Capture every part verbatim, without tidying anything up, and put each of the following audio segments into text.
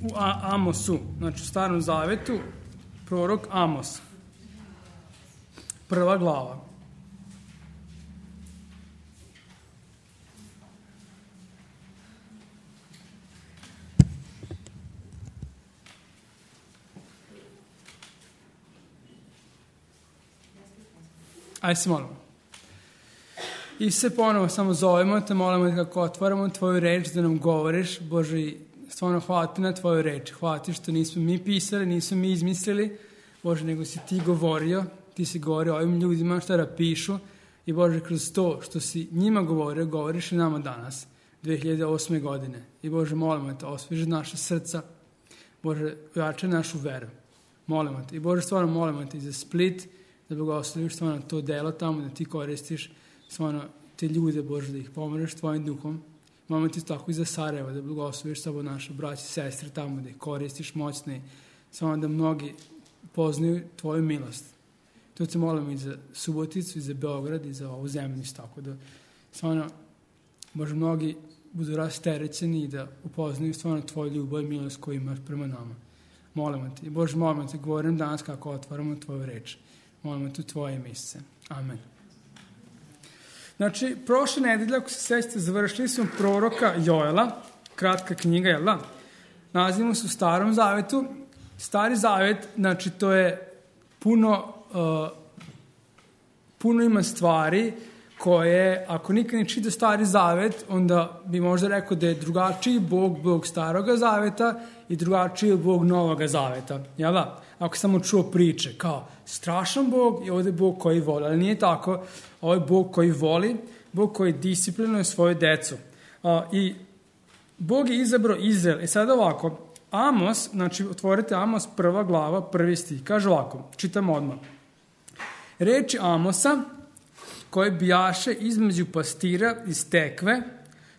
u Amosu, znači u Starom Zavetu, prorok Amos. Prva glava. Ajde se molimo. I se ponovo samo zovemo te, molimo te kako otvaramo tvoju reč da nam govoriš. Bože, stvarno hvala ti na tvoju reč. Hvala ti što nismo mi pisali, nismo mi izmislili. Bože, nego si ti govorio. Ti si govorio ovim ljudima šta da pišu. I Bože, kroz to što si njima govorio, govoriš i nama danas, dve hiljade osme godine. I Bože, molimo te, osveži naše srca. Bože, ojačaj našu veru. Molimo te. I Bože, stvarno molimo te i za Split, da blagosloviš stvarno to delo tamo, da ti koristiš stvarno te ljude, Bože, da ih pomožeš tvojim duhom. Molimo ti tako i za Sarajevo, da blagosloviš samo naše braće i sestre tamo, da ih koristiš moćne, samo da mnogi poznaju tvoju milost. To te molimo i za Suboticu, i za Beograd, i za ovu zemlju, tako da stvarno, Bože, mnogi budu rasterećeni i da upoznaju stvarno tvoju ljubav i milost koju imaš prema nama. Molimo te. Bože, molimo te, govorim danas kako otvaramo tvoju reč. Molimo te u tvoje mjesece. Amen. Znači, prošle nedelje, ako se sećate, završili smo proroka Joela, kratka knjiga, jel da? Nalazimo se u Starom Zavetu. Stari Zavet, znači, to je puno, uh, puno ima stvari koje, ako nikad ne čita Stari Zavet, onda bi možda rekao da je drugačiji Bog, Bog Staroga Zaveta i drugačiji Bog Novoga Zaveta, jel da? Ako samo čuo priče, kao strašan Bog i ovdje je Bog koji voli, ali nije tako. Ovo je Bog koji voli, Bog koji disciplinuje svoju decu. Uh, I Bog je izabrao Izrael. I sad ovako, Amos, znači otvorite Amos prva glava, prvi stih, kaže ovako, čitam odmah. Reči Amosa, koje bijaše između pastira iz Tekve,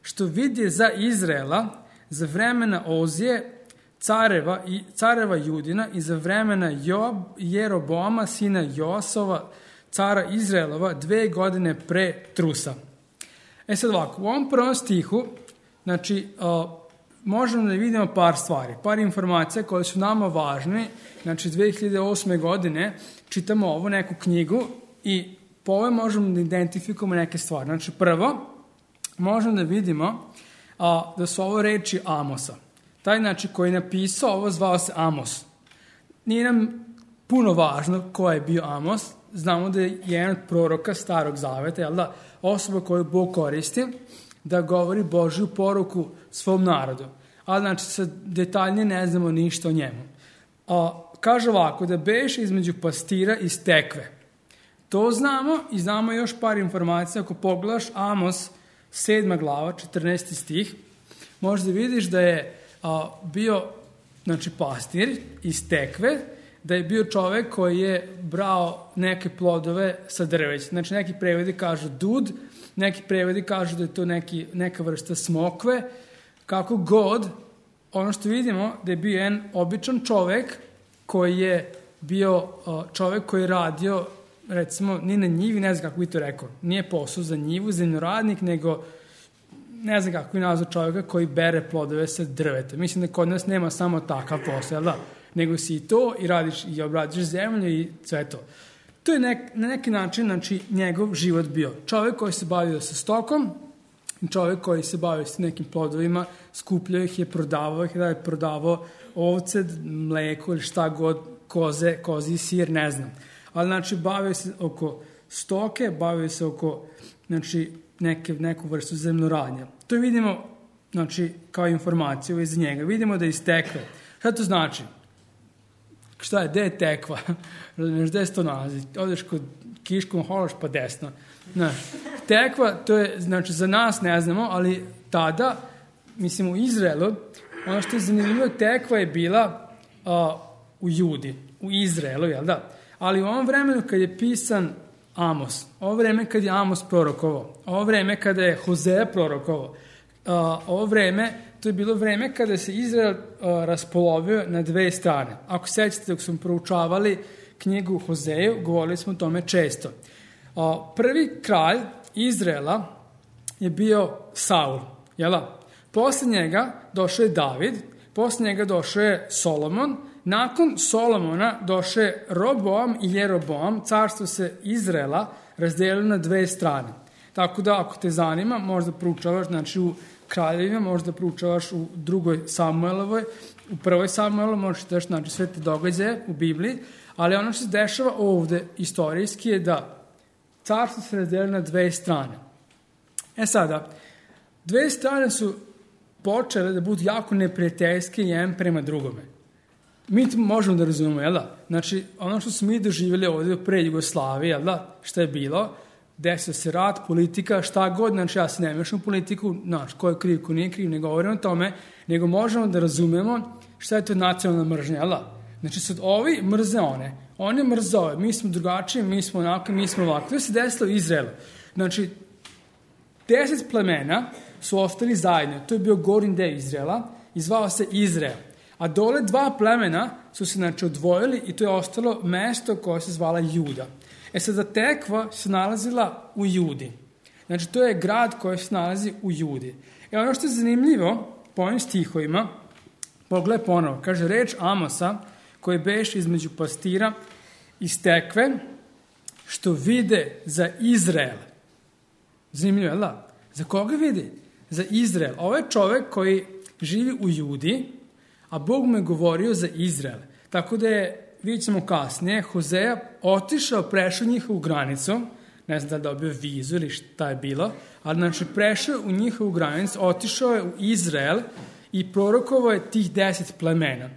što vidje za Izraela, za vremena Ozije, careva, i, careva Judina i za vremena Joab, Jeroboama, sina Joasova, cara Izraelova, dve godine pre Trusa. E sad ovako, u ovom prvom stihu, znači, uh, možemo da vidimo par stvari, par informacija koje su nama važne. Znači, dve hiljade osme godine čitamo ovu neku knjigu i po ovoj možemo da identifikujemo neke stvari. Znači, prvo, možemo da vidimo a, da su ovo reči Amosa. Taj, znači, koji je napisao ovo, zvao se Amos. Nije nam puno važno ko je bio Amos. Znamo da je jedan od proroka Starog Zaveta, jel da, osoba koju Bog koristi da govori Božju poruku svom narodu. Ali, znači, sad detaljnije ne znamo ništa o njemu. A, kaže ovako, da beše između pastira iz Tekve. To znamo i znamo još par informacija. Ako pogledaš Amos, sedma glava, četrnaesti stih, možda vidiš da je a, bio, znači, pastir iz Tekve, da je bio čovek koji je brao neke plodove sa drveća. Znači, neki prevodi kažu dud, neki prevodi kažu da je to neki, neka vrsta smokve. Kako god, ono što vidimo da je bio jedan običan čovek koji je bio čovek koji je radio, recimo, ni na njivi, ne znam kako bi to rekao, nije posao za njivu, zemljoradnik, nego ne znam kako bi nazvao čoveka koji bere plodove sa drveta. Mislim da kod nas nema samo takav posao, da? Nego si i to i radiš i obradiš zemlju i sve to. To je nek, na neki način, znači, njegov život bio. Čovek koji se bavio sa stokom, čovjek koji se bavio s nekim plodovima, skupljao ih je, prodavao ih, da je prodavao ovce, mleko ili šta god, koze, kozi sir, ne znam. Ali, znači, bavio se oko stoke, bavio se oko, znači, neke, neku vrstu zemljoradnja. To vidimo, znači, kao informaciju iz njega. Vidimo da je iz Tekve. Šta to znači? Šta je, gde je Tekva? Razumiješ, gde se to nalazi? Odeš kod Kiškom Hološ pa desno. Znaš, Tekva, to je, znači, za nas ne znamo, ali tada, mislim, u Izraelu, ono što je zanimljivo, Tekva je bila uh, u Judi, u Izraelu, jel da? Ali u ovom vremenu kad je pisan Amos, ovo vreme kad je Amos prorokovao, ovo vreme kada je Hozea prorokovao, uh, ovo vreme, to je bilo vreme kada se Izrael uh, raspolovio na dve strane. Ako sećate, dok smo proučavali knjigu Hozeju, govorili smo o tome često. Uh, prvi kralj Izraela je bio Saul, jel da? Posle njega došao je David, posle njega došao je Solomon, nakon Solomona došao je Roboam i Jeroboam, carstvo se Izraela razdelilo na dve strane. Tako da, ako te zanima, možda proučavaš, znači u Kraljevima, možda proučavaš u drugoj Samuelovoj, u prvoj Samuelu možeš da znači sve te događaje u Bibliji, ali ono što se dešava ovde istorijski je da carstvo se razdelilo na dve strane. E sada, dve strane su počele da budu jako neprijateljske jedan prema drugome. Mi to možemo da razumemo, jel da? Znači, ono što smo mi doživjeli ovdje pre Jugoslavije, jel da? Šta je bilo? Desio se rat, politika, šta god, znači ja se ne mešam u politiku, znači, ko je kriv, ko nije kriv, ne govorim o tome, nego možemo da razumemo šta je to nacionalna mržnja, jel da? Znači, sad ovi mrze one, one mrze ove, mi smo drugačiji, mi smo onako, mi smo ovako. To se desilo u Izraelu. Znači, deset plemena su ostali zajedno, to je bio gornji deo Izraela i zvao se Izrael. A dole dva plemena su se znači odvojili i to je ostalo mesto koje se zvala Juda. E sada Tekva se nalazila u Judi. Znači to je grad koji se nalazi u Judi. E ono što je zanimljivo po ovim stihovima, pogledaj ponovo, kaže reč Amosa koji beš između pastira iz Tekve što vide za Izrael. Zanimljivo, je da? Za koga vidi? Za Izrael. Ovo je čovek koji živi u Judi, a Bog mu je govorio za Izrael. Tako da je, vidjet ćemo kasnije, Hozeja otišao, prešao njihovu granicu, ne znam da li dobio vizu ili šta je bilo, ali znači prešao u njihovu granicu, otišao je u Izrael i prorokovao je tih deset plemena.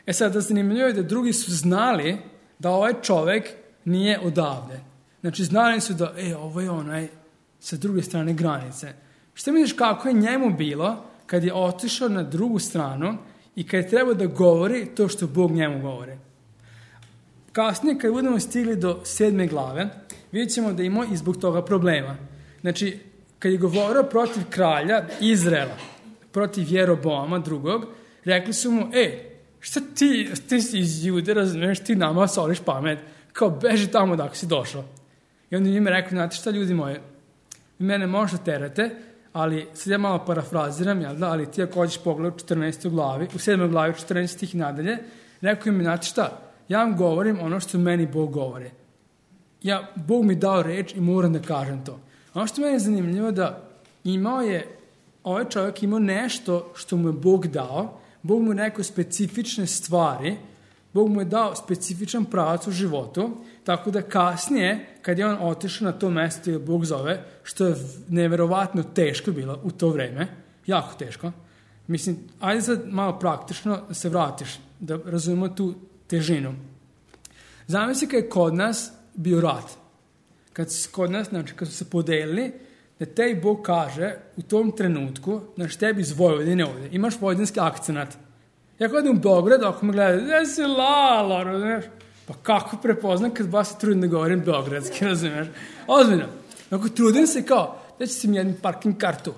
E sad, da zanimljivo je da drugi su znali da ovaj čovek nije odavde. Znači, znali su da, e, ovo je onaj sa druge strane granice. Šta misliš kako je njemu bilo kad je otišao na drugu stranu i kad je trebao da govori to što Bog njemu govori? Kasnije, kad budemo stigli do sedme glave, vidjet ćemo da ima i zbog toga problema. Znači, kad je govorio protiv kralja Izraela, protiv Jeroboama drugog, rekli su mu, e, šta ti, ti si iz Jude, razumiješ, ti nama soliš pamet, kao beži tamo dok si došao. I onda njima rekao, znate šta ljudi moji, vi mene možete terate, ali sad ja malo parafraziram, jel da, ali ti ako hoćeš pogled u četrnaestoj glavi, u sedmoj glavi, četrnaest stih nadalje, rekao im, znate šta, ja vam govorim ono što meni Bog govori. Ja, Bog mi dao reč i moram da kažem to. Ono što meni je zanimljivo da imao je, ovaj čovjek imao nešto što mu je Bog dao, Bog mu je rekao specifične stvari, Bog mu je dao specifičan pravac u životu, tako da kasnije, kad je on otišao na to mesto ili Bog zove, što je neverovatno teško bilo u to vreme, jako teško, mislim, ajde sad malo praktično da se vratiš, da razumemo tu težinu. Zamisli kad je kod nas bio rat. Kad su kod nas, znači kad su se podelili, da tebi Bog kaže u tom trenutku, znači tebi iz Vojvodine ovdje, imaš vojvodinski akcenat. Ja kad idem u Beograd, ako me gledaju, gdje si lala, razumiješ? Pa kako prepoznam kad vas se trudim da govorim beogradski, razumiješ? Ozbiljno. Ako trudim se kao, da će si mi jednu parking kartu.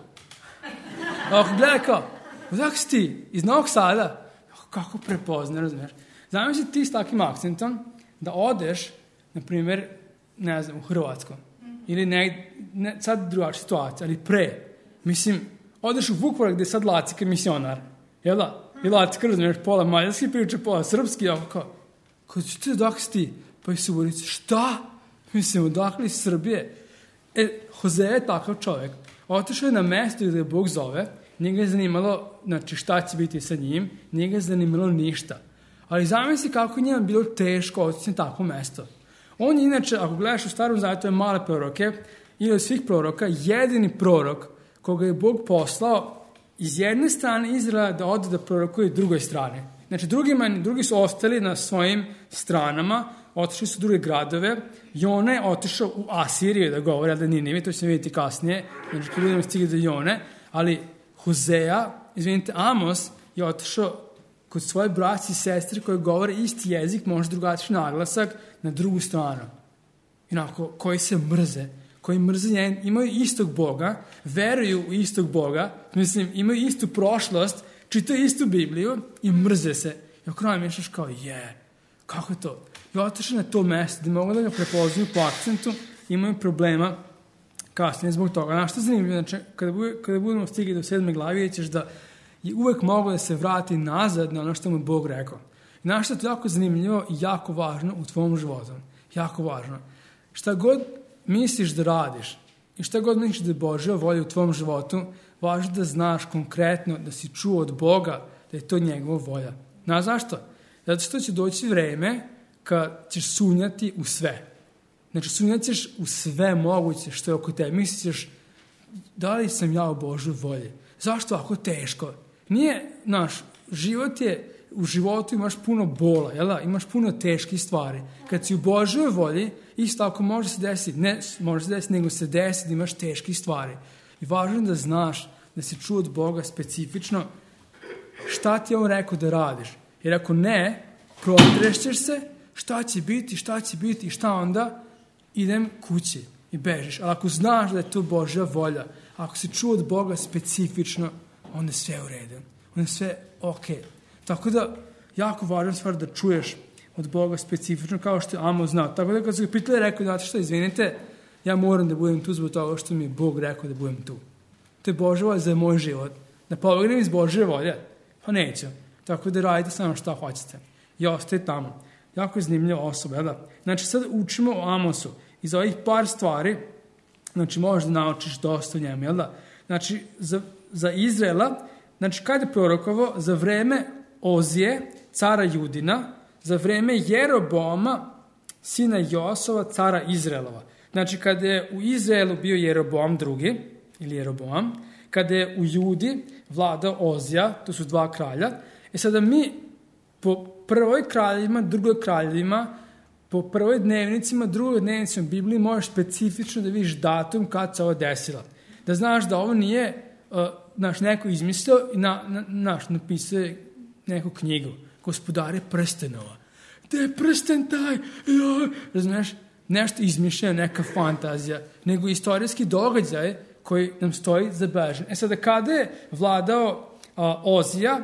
Ako gledaj kao, odakle si ti? Iz Novog Sada? Kako prepoznam, razumiješ? Zamisli ti s takvim akcentom da odeš, na primjer, ne znam, u Hrvatsku. Ili ne, ne sad drugačija situacija, ali pre. Mislim, odeš u Vukovar gdje je sad Lacika misionar. Jel da? I Lacika, razumiješ, pola mađarski priča, pola srpski, ako kao, kao ti odakle si ti? Pa i Suborici, šta? Mislim, odakle iz Srbije? E, Hozeja je takav čovjek. Otišao je na mesto gdje je Bog zove, nije ga je zanimalo, znači šta će biti sa njim, nije ga je zanimalo ništa. Ali zamisli kako je njima bilo teško otići na takvo mesto. On je inače, ako gledaš u Starom Zavjetu, je male proroke, ili od svih proroka, jedini prorok koga je Bog poslao iz jedne strane Izraela da ode da prorokuje drugoj strane. Znači, drugima, drugi su ostali na svojim stranama, otišli su u druge gradove, Jona je otišao u Asiriju da govori, ali da Ninive, to ćemo vidjeti kasnije, znači kad budemo stigli do Jone, ali Hozeja, izvinite, Amos je otišao kod svoje braći i sestre koji govore isti jezik, možda drugačiji naglasak, na drugu stranu. Inako, koji se mrze, koji mrze njen, imaju istog Boga, veruju u istog Boga, mislim, imaju istu prošlost, čitaju istu Bibliju i mrze se. I oko nama mišljaš kao, je, kako je to? I otišli na to mesto gdje mogu da ga prepoznaju po akcentu, imaju problema kasnije zbog toga. Znaš što je zanimljivo? Znači, kada, bude, kada budemo stigli do sedme glavi, ćeš da i uvek mogu da se vrati nazad na ono što mu Bog rekao. I znaš što je to jako zanimljivo i jako važno u tvom životu. Jako važno. Šta god misliš da radiš i šta god misliš da je Božja volja u tvom životu, važno da znaš konkretno da si čuo od Boga da je to njegova volja. Znaš zašto? Zato što će doći vreme kad ćeš sumnjati u sve. Znači, sumnjat ćeš u sve moguće što je oko tebe. Misliš, da li sam ja u Božoj volji? Zašto ovako teško? Nije, naš život je, u životu imaš puno bola, jel da? Imaš puno teških stvari. Kad si u Božoj volji, isto ako može se desiti, ne može se desiti, nego se desi da imaš teških stvari. I važno je da znaš da si čuo od Boga specifično šta ti je on rekao da radiš. Jer ako ne, protrešćeš se, šta će biti, šta će biti i šta onda, idem kući i bežiš. Ali ako znaš da je to Božja volja, ako si čuo od Boga specifično, onda je sve u redu. Onda je sve ok. Tako da, jako važna stvar da čuješ od Boga specifično, kao što je Amos znao. Tako da, kad su ga pitali, rekao, znate što, izvinite, ja moram da budem tu zbog toga što mi je Bog rekao da budem tu. To je Božja volja za moj život. Da pobegnem iz Božje volje? Pa neću. Tako da radite samo šta hoćete. I ostaje tamo. Jako je zanimljiva osoba, jel da? Znači, sad učimo o Amosu. Iz ovih par stvari, znači, možeš da naučiš dosta o njemu, jel da? Znači, za, za Izraela, znači, kada je prorokovao, za vreme Ozije, cara Judina, za vreme Jeroboama, sina Josova, cara Izraelova. Znači, kada je u Izraelu bio Jeroboam drugi, ili Jeroboam, kada je u Judi vladao Ozija, to su dva kralja, e sada mi po prvoj kraljevima, drugoj kraljevima, po prvoj dnevnicima, drugoj dnevnicima Bibliji možeš specifično da vidiš datum kad se ovo desilo. Da znaš da ovo nije uh, naš neko izmislio i na, na, naš napisao neku knjigu. Gospodare prstenova. Gde je prsten taj? Ja. Razumiješ? Nešto izmišljeno, neka fantazija, nego istorijski događaj koji nam stoji zabeležen. E sada, kada je vladao a, Ozija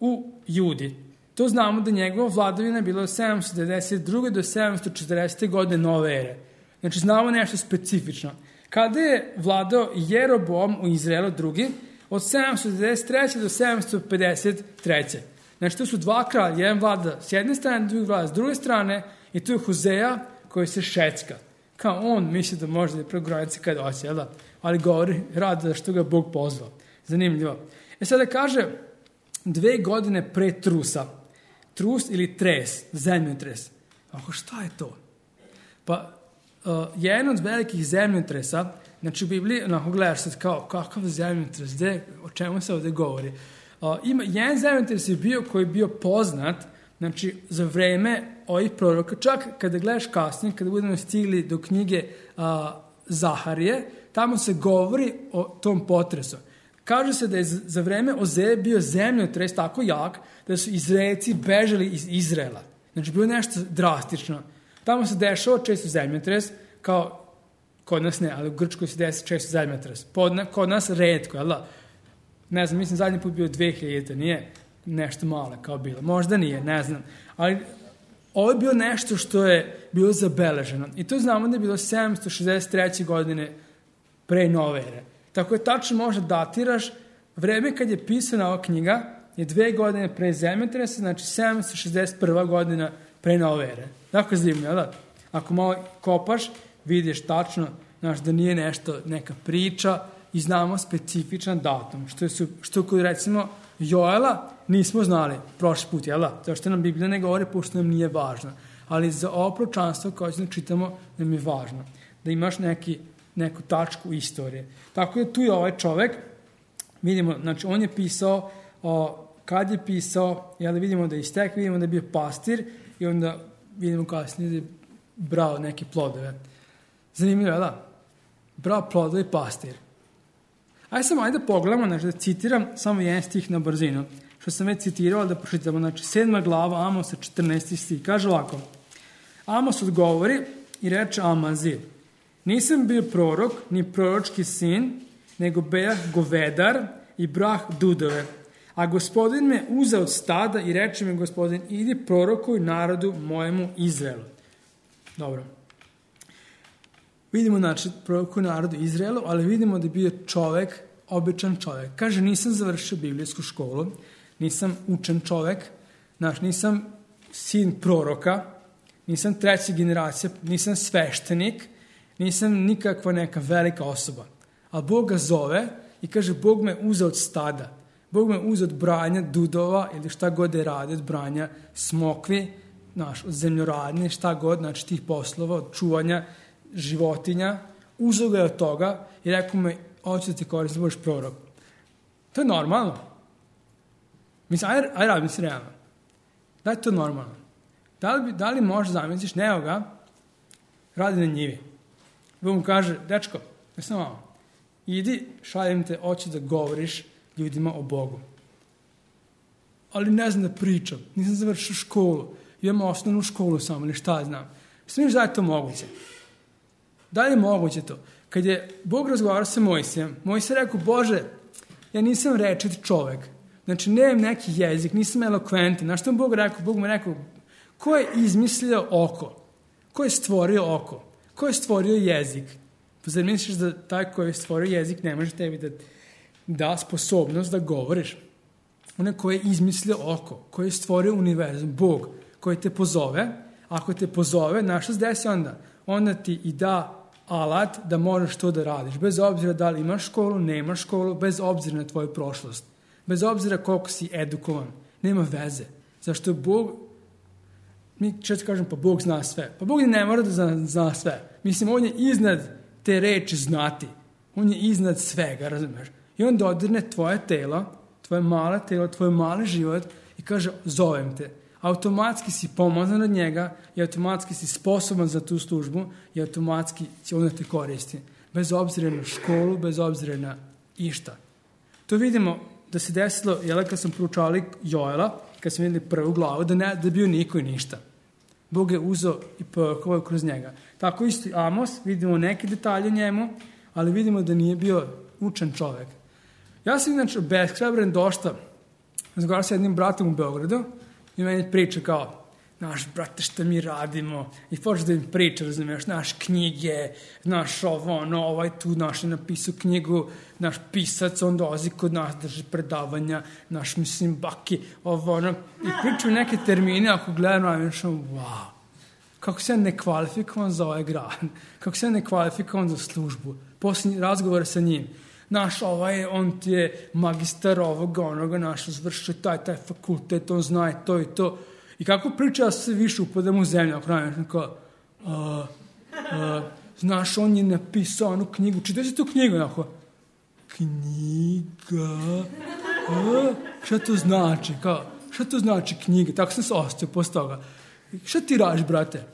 u Judi, to znamo da njegova vladavina je bila od sedamsto devedeset druge do sedamsto četrdesete godine nove ere. Znači, znamo nešto specifično. Kada je vladao Jeroboam u Izraelu drugi, od sedamsto devedeset treće do sedamsto pedeset treće Znači, to su dva kralja, jedan vlada s jedne strane, drugi vlada s druge strane, i tu je Hozeja koji se šecka. Kao on misli da može da je preko granice kada hoće, jel da? Ali govori rad da što ga Bog pozvao. Zanimljivo. E sada kaže, dve godine pre trusa, trus ili tres, zemljotres. Ako šta je to? Pa, uh, jedan od velikih zemljotresa, znači u Bibliji, onako gledaš sad kao, kakav zemljotres, gde, o čemu se ovde govori? Uh, ima, jedan zemljotres je bio koji je bio poznat, znači za vreme ovih proroka, čak kada gledaš kasnije, kada budemo stigli do knjige uh, Zaharije, tamo se govori o tom potresu. Kaže se da je za vreme Ozeje bio zemljotres tako jak da su Izraelci bežali iz Izraela. Znači, bilo nešto drastično. Tamo se dešava često zemljotres, kao kod nas ne, ali u Grčkoj se desi često zemljotres. Kod nas redko, jel da? Ne znam, mislim zadnji put bio dve hiljade, nije nešto malo kao bilo. Možda nije, ne znam. Ali ovo je bilo nešto što je bilo zabeleženo. I to znamo da je bilo sedamsto šezdeset treće godine pre nove ere. Tako je tačno možda datiraš vreme kad je pisana ova knjiga je dve godine pre zemljotresa, znači sedamsto šezdeset prva godina pre nove ere. Tako je zanimljivo, da? Ako malo kopaš, vidiš tačno, znaš, da nije nešto, neka priča i znamo specifičan datum. Što, su, što kod recimo Joela nismo znali prošli put, jel da? To što nam Biblija ne govori, pošto nam nije važno. Ali za ovo proročanstvo koje ćemo čitamo nam je važno. Da imaš neki, neku tačku istorije. Tako da tu je ovaj čovek, vidimo, znači on je pisao, o, kad je pisao, jel da vidimo da je istek, vidimo da je bio pastir i onda vidimo kasnije da je brao neke plodove. Zanimljivo, jel da? Brao plodove i pastir. Ajde samo, ajde da pogledamo, znači da citiram samo jedan stih na brzinu, što sam već citirao, da pročitamo, znači sedma glava Amosa, četrnaesti stih, kaže ovako, Amos odgovori i reče Amazi, nisam bio prorok, ni proročki sin, nego bejah govedar i brah dudove, a gospodin me uzeo od stada i reče mi gospodin, idi prorokuj narodu mojemu Izraelu. Dobro. Vidimo, znači, prorokuj narodu Izraelu, ali vidimo da je bio čovek običan čovek. Kaže, nisam završio biblijsku školu, nisam učen čovek, znaš, nisam sin proroka, nisam treća generacija, nisam sveštenik, nisam nikakva neka velika osoba. A Bog ga zove i kaže, Bog me uzeo od stada. Bog me uzeo od branja dudova ili šta god je radi, od branja smokvi, znaš, od zemljoradnje, šta god, znači tih poslova, od čuvanja životinja. Uzeo ga je od toga i rekao me, hoću da ti koristim, da budeš prorok. To je normalno. Mislim, aj, aj radi, mislim, realno. Da je to normalno? Da li, da li možeš zamisliš nekoga radi na njivi? Bog mu kaže, dečko, ne sam malo, idi, šaljem te, hoću da govoriš ljudima o Bogu. Ali ne znam da pričam, nisam završio školu, imam osnovnu školu samo, ili šta znam. Smiš da je to moguće? Da li je moguće to? Kad je Bog razgovarao sa Mojsijem, Mojsije rekao, Bože, ja nisam rečit čovek, znači nemam neki jezik, nisam elokventan. Znaš što mu Bog rekao? Bog mu rekao, ko je izmislio oko? Ko je stvorio oko? Ko je stvorio jezik? Pa zar misliš da taj koji je stvorio jezik ne može tebi da da sposobnost da govoriš? Onaj koji je izmislio oko, koji je stvorio univerzum, Bog, koji te pozove, ako te pozove, znaš što se desi onda? Onda ti i da alat da možeš to da radiš, bez obzira da li imaš školu, nemaš školu, bez obzira na tvoju prošlost, bez obzira koliko si edukovan, nema veze. Zašto Bog, mi često kažem, pa Bog zna sve. Pa Bog ne mora da zna, zna sve. Mislim, on je iznad te reči znati. On je iznad svega, razumeš? I on dodirne tvoje telo, tvoje male telo, tvoj mali život i kaže, zovem te. Automatski si pomazan od njega i automatski si sposoban za tu službu i automatski će on da te koristi. Bez obzira na školu, bez obzira na išta. To vidimo da se desilo, jel, kad sam proučavali Joela, kad sam videli prvu glavu, da ne da je bio niko i ništa. Bog je uzeo i poveo kroz njega. Tako isto i Amos, vidimo neke detalje o njemu, ali vidimo da nije bio učen čovek. Ja sam inače beshrabren došta, razgovarao sa jednim bratom u Beogradu i meni priča kao, znaš, brate, šta mi radimo? I počeo da im priča, razumiješ, naš knjige, naš ovo, ono, ovaj tu naš je napisao knjigu, naš pisac, on dolazi kod nas, drži predavanja, naš, mislim, baki, ovo, ono, i pričaju neke termine, ako gledam, razumiješ, wow, kako se ja nekvalifikovan za ovaj grad, kako se ja nekvalifikovan za službu, posljednji razgovor sa njim, naš, ovaj, on ti je magistar ovoga, onoga, naš, zvršio taj, taj fakultet, on zna i to i to. I kako priča, ja se više upadam u zemlju, ako najem, kao, uh, uh, znaš, on je napisao onu knjigu, čitaj si tu knjigu, onako, knjiga, uh, šta to znači, kao, šta to znači knjiga, tako sam se ostao posle toga. Šta ti radiš, brate?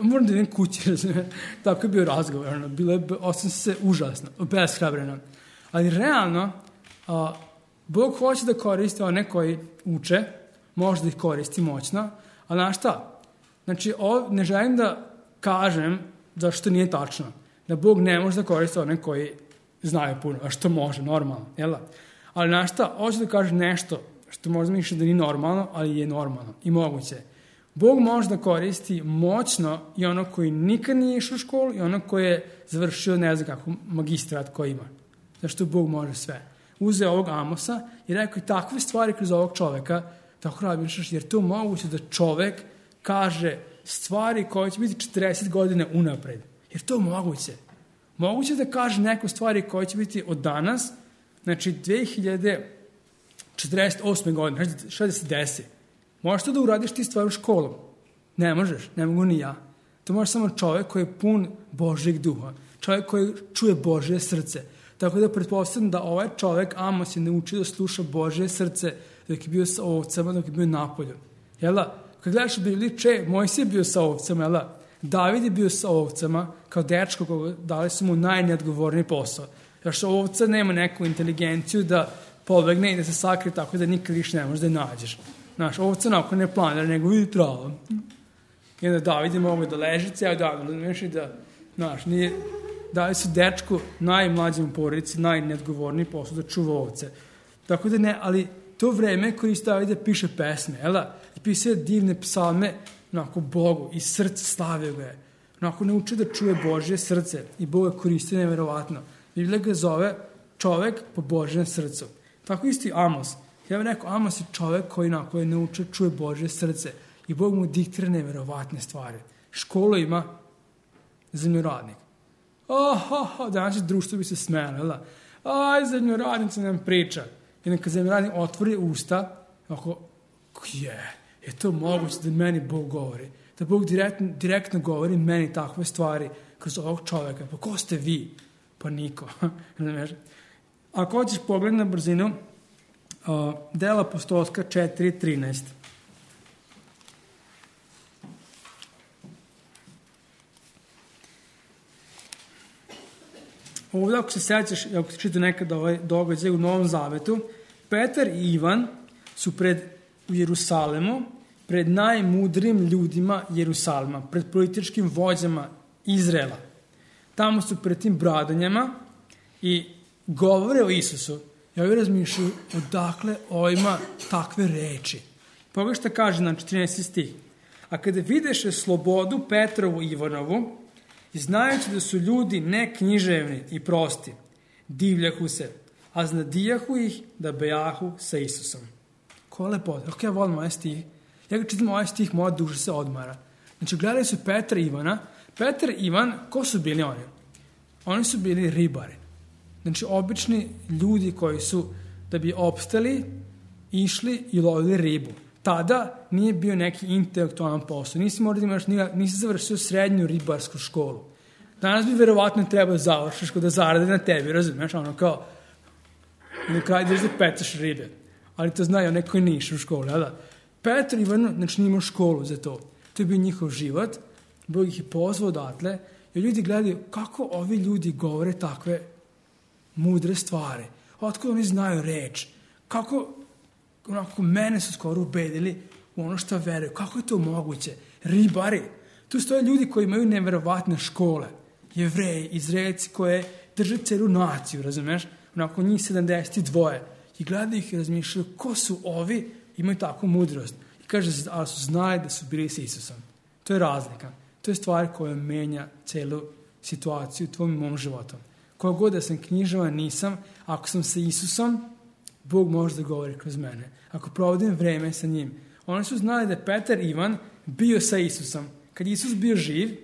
Moram da idem kući, razumije. Tako je bio razgovor, ono, bilo je, osam se užasno, beshrabreno. Ali realno, a, Bog hoće da koristi one koji uče, može da ih koristi moćno, ali znaš šta? Znači, ovo ne želim da kažem da što nije tačno, da Bog ne može da koristi one koji znaju puno, a što može, normalno, jel? Ali znaš šta? Hoće da kaže nešto što možda misliš da nije normalno, ali je normalno i moguće. Bog može da koristi moćno i ono koji nikad nije išao u školu i ono koji je završio, ne znam kako, magistrat koji ima. Zašto Bog može sve. Uzeo ovog Amosa i rekao i takve stvari kroz ovog čoveka, tako razmišljaš, jer to moguće da čovek kaže stvari koje će biti četrdeset godina unapred. Jer to moguće. Moguće da kaže neko stvari koje će biti od danas, znači dve hiljade četrdeset osme godine, znači šta da se desi. Možeš to da uradiš ti stvari u školu? Ne možeš, ne mogu ni ja. To može samo čovjek koji je pun Božjeg duha. Čovjek koji čuje Božje srce. Tako da pretpostavljam da ovaj čovjek, Amos, je naučio da sluša Božje srce dok je bio sa ovcama, dok je bio napolju. Jel da? Kad gledaš u Bibliji, če, Mojsije je bio sa ovcama, jel da? David je bio sa ovcama, kao dečko, koga dali su mu najneodgovorniji posao. Jer što ovca nema neku inteligenciju da pobegne i da se sakrije tako da nikad više ne možeš da je nađeš. Znaš, ovca nakon ne planira, nego vidi trava. I onda David je mogo da leži ceo dan, razumiješ i da, znaš, nije, dali su dečku najmlađem u porodici, najneodgovorniji posao da čuva ovce. Tako da ne, ali to vreme koristi David da piše pesme, jel da? I piše divne psalme, onako Bogu, i srce slavio ga je. Onako nauči da čuje Božje srce i Boga koristi nevjerovatno. Biblija ga zove čovek po Božjem srcu. Tako isto i Amos. Ja bih rekao, Amos je čovek koji onako je naučio, čuje Božje srce i Bog mu diktira neverovatne stvari. Školu ima zemljoradnik. Aha, danas društvo bi se smelo, aj, zemljoradnica nam priča. I neka zemljoradnik otvori usta, ako, je, je to moguće da meni Bog govori? Da Bog direktno, direktno govori meni takve stvari kroz ovog čoveka. Pa ko ste vi? Pa niko. Ako hoćeš pogled na brzinu, uh, Dela apostolska četiri trinaest. Ovdje, ako se sjećaš, ako se čita nekada ovaj događaj u Novom Zavetu, Petar i Ivan su pred u Jerusalemu, pred najmudrijim ljudima Jerusalima, pred političkim vođama Izraela. Tamo su pred tim bradanjama i govore o Isusu. Ja ovdje razmišljaju odakle ovima takve reči. Pogledaj šta kaže na četrnaesti stih. A kada videše slobodu Petrovu i Ivanovu, i znajući da su ljudi neknjiževni i prosti, divljahu se, a znadijahu ih da bejahu sa Isusom. Ko je lepota. Kako ja volim ovaj stih? Ja ga čitam ovaj stih, moja duša se odmara. Znači, gledali su Petra i Ivana. Petar i Ivan, ko su bili oni? Oni su bili ribari. Znači, obični ljudi koji su, da bi opstali, išli i lovili ribu. Tada nije bio neki intelektualan posao. Nisi morao da imaš, nisi završio srednju ribarsku školu. Danas bi verovatno trebao završiš da zarade na tebi, razumiješ? Ono kao, na kraju ideš da petaš ribe. Ali to znaju onaj koji nije išao u školu, jel da? Petar i Ivan, znači, nije imao školu za to. To je bio njihov život. Bog ih je pozvao odatle. I ljudi gledaju kako ovi ljudi govore takve mudre stvari. Otkud oni znaju reč? Kako, onako, mene su skoro ubedili u ono što veruju. Kako je to moguće? Ribari. Tu stoje ljudi koji imaju neverovatne škole. Jevreji, Izraelci koje drže celu naciju, razumeš? Onako njih sedamdeset dva. I gledaju ih i razmišljaju ko su ovi, imaju takvu mudrost. I kaže, ali su znali da su bili s Isusom. To je razlika. To je stvar koja menja celu situaciju u tvojom i mom životu. Koja god da sam knjižavan, nisam, ako sam sa Isusom, Bog može da govori kroz mene. Ako provodim vreme sa njim. Oni su znali da je Petar i Ivan bio sa Isusom. Kad Isus bio živ,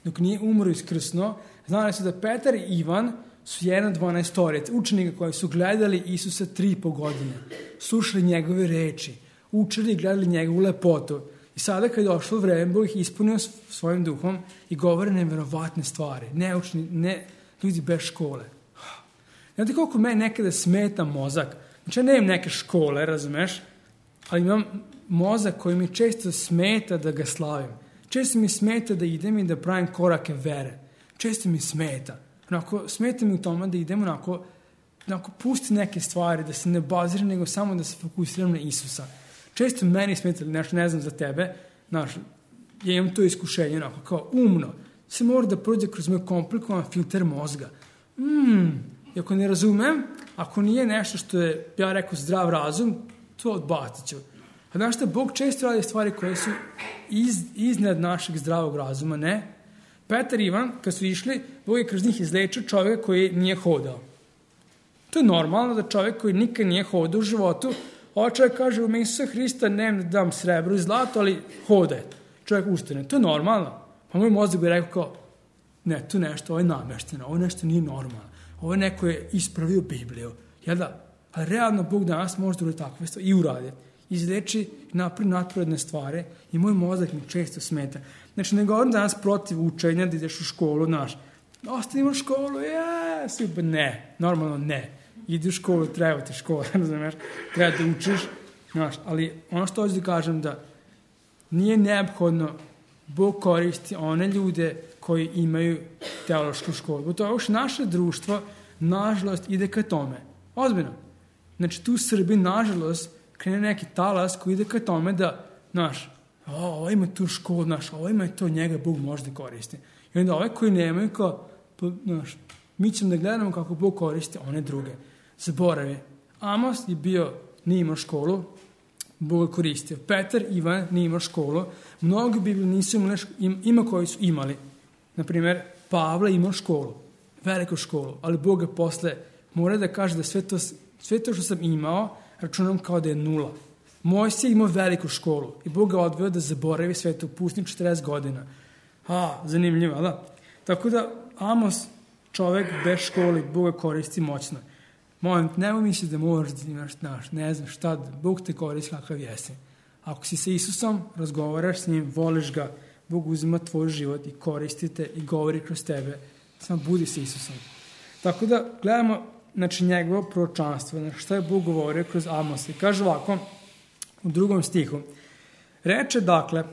dok nije umro iskrsno, znali su da Petar i Ivan su jedan dvanaestorica, učenika koji su gledali Isusa tri i po godine. Slušali njegove reči, učili i gledali njegovu lepotu. I sada kad je došlo vreme, Bog ih ispunio svojim duhom i govore neverovatne stvari. Neučni, ne ljudi bez škole. Znate koliko meni nekada smeta mozak? Znači ja nemam neke škole, razumeš? Ali imam mozak koji mi često smeta da ga slavim. Često mi smeta da idem i da pravim korake vere. Često mi smeta. Onako, smeta mi u tome da idem onako, onako pusti neke stvari, da se ne baziram, nego samo da se fokusiram na Isusa. Često meni smeta, nešto ne znam za tebe, znaš, ja imam to iskušenje, onako, kao umno. Se mora da prođe kroz moj komplikovan filter mozga. Hmm, i ako ne razumem, ako nije nešto što je, ja rekao, zdrav razum, to odbacit ću. A znaš šta, Bog često radi stvari koje su iz, iznad našeg zdravog razuma, ne? Petar i Ivan, kad su išli, Bog je kroz njih izlečio čovjeka koji nije hodao. To je normalno da čovjek koji nikad nije hodao u životu, ovaj čovjek kaže, u ime Isusa Hrista ne dam srebro i zlato, ali hodaj. Čovjek ustane. To je normalno. Pa moj mozak bi rekao kao, ne, to nešto, ovo je namešteno, ovo nešto nije normalno. Ovo je neko je ispravio Bibliju. Jel da? Ali realno Bog danas može da uradi takve stvari i uradi. Izleči naprijed natporedne stvari i moj mozak mi često smeta. Znači, ne govorim danas protiv učenja da ideš u školu, znaš, ostavimo školu, ja, super, ne, normalno ne. Idi u školu, treba ti škola, znaš, treba da učiš, znaš, ali ono što hoću da kažem da nije neophodno Bog koristi one ljude koji imaju teološku školu. U to što naše društvo, nažalost, ide ka tome. Ozbiljno. Znači, tu u Srbiji, nažalost, krene neki talas koji ide ka tome da, znaš, ovo ima tu školu, znaš, ovo ima to, njega Bog može da koristi. I onda ove koji nemaju, kao, znaš, mi ćemo da gledamo kako Bog koristi one druge. Zaboravi. Amos je bio, nije imao školu, Bog je koristio. Petar, Ivan nije imao školu. Mnogi Bibliji nisu imali, ima koji su imali. Naprimjer, Pavle imao školu. veliku školu, ali Bog je posle mora da kaže da sve to, sve to što sam imao računam kao da je nula. Mojsije imao veliku školu i Bog ga odveo da zaboravi sve to, pusti četrdeset godina. A, zanimljivo, da? Tako da Amos, čovek bez škole, Boga koristi moćno. Molim, nemoj misliti da moraš da imaš, znaš, ne znam šta, Bog te koristi kakav jesi. Ako si sa Isusom, razgovaraš s njim, voliš ga, Bog uzima tvoj život i koristite i govori kroz tebe. Samo budi sa Isusom. Tako da gledamo, znači, njegovo proročanstvo, znači šta je Bog govorio kroz Amosa. I kaže ovako, u drugom stihu, reče dakle,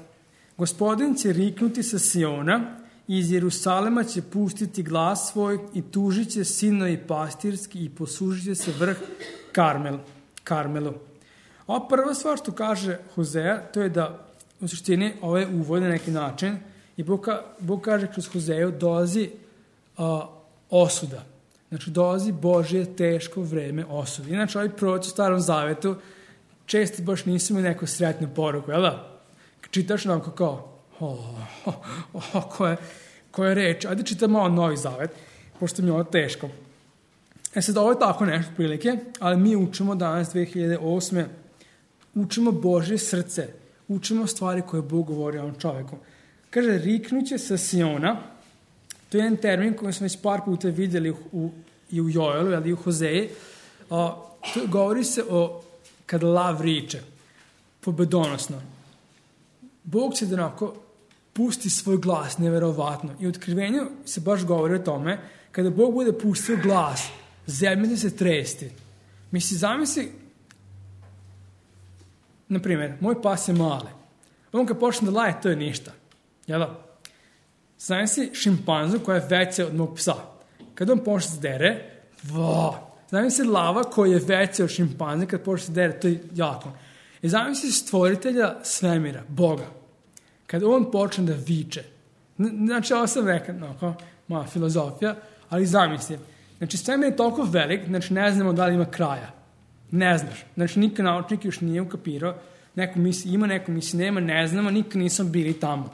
Gospodin će riknuti sa Siona, iz Jerusalema će pustiti glas svoj i tužit će sinovi pastirski i posužit će se vrh Karmel, Karmelu. Ova prva stvar što kaže Hozea, to je da u suštini ovaj uvod na neki način i Bog, Bog kaže kroz Hozeju dolazi uh, osuda. Znači dolazi Božje teško vreme osude. Inače ovaj proroci u Starom Zavetu često baš nisu imali neku sretnu poruku, jel da? Čitaš onako kao o, o, o, koje, koje reč. Ajde čitam malo Novi Zavet, pošto mi je ovo teško. E sad, ovo je tako nešto prilike, ali mi učimo danas, dve hiljade osme, učimo Božje srce, učimo stvari koje Bog govori o ovom čoveku. Kaže, riknuće sa Siona, to je jedan termin koji smo već par puta vidjeli u, u, i u Joelu, ali i u Hozeji. A, to govori se o kad lav riče, pobedonosno. Bog će da onako pusti svoj glas, neverovatno. I u otkrivenju se baš govori o tome, kada Bog bude pustio glas, zemlja će se tresti. Misli, zamisli, na primjer, moj pas je male. On kad počne da laje, to je ništa. Jel da? Zamisli šimpanzu koja je veća od mog psa. Kada on počne da dere, va! Zamisli lava koja je veća od šimpanze, kad počne da dere, to je jako. I zamisli stvoritelja svemira, Boga. Kada on počne da viče. Znači, ovo sam rekao, no, mala filozofija, ali zamisli. Znači, svemir je toliko velik, znači ne znamo da li ima kraja. Ne znaš. Znači, nikad naučnik još nije ukapirao. Neko misli ima, neko misli nema, ne znamo, nikad nisam bili tamo.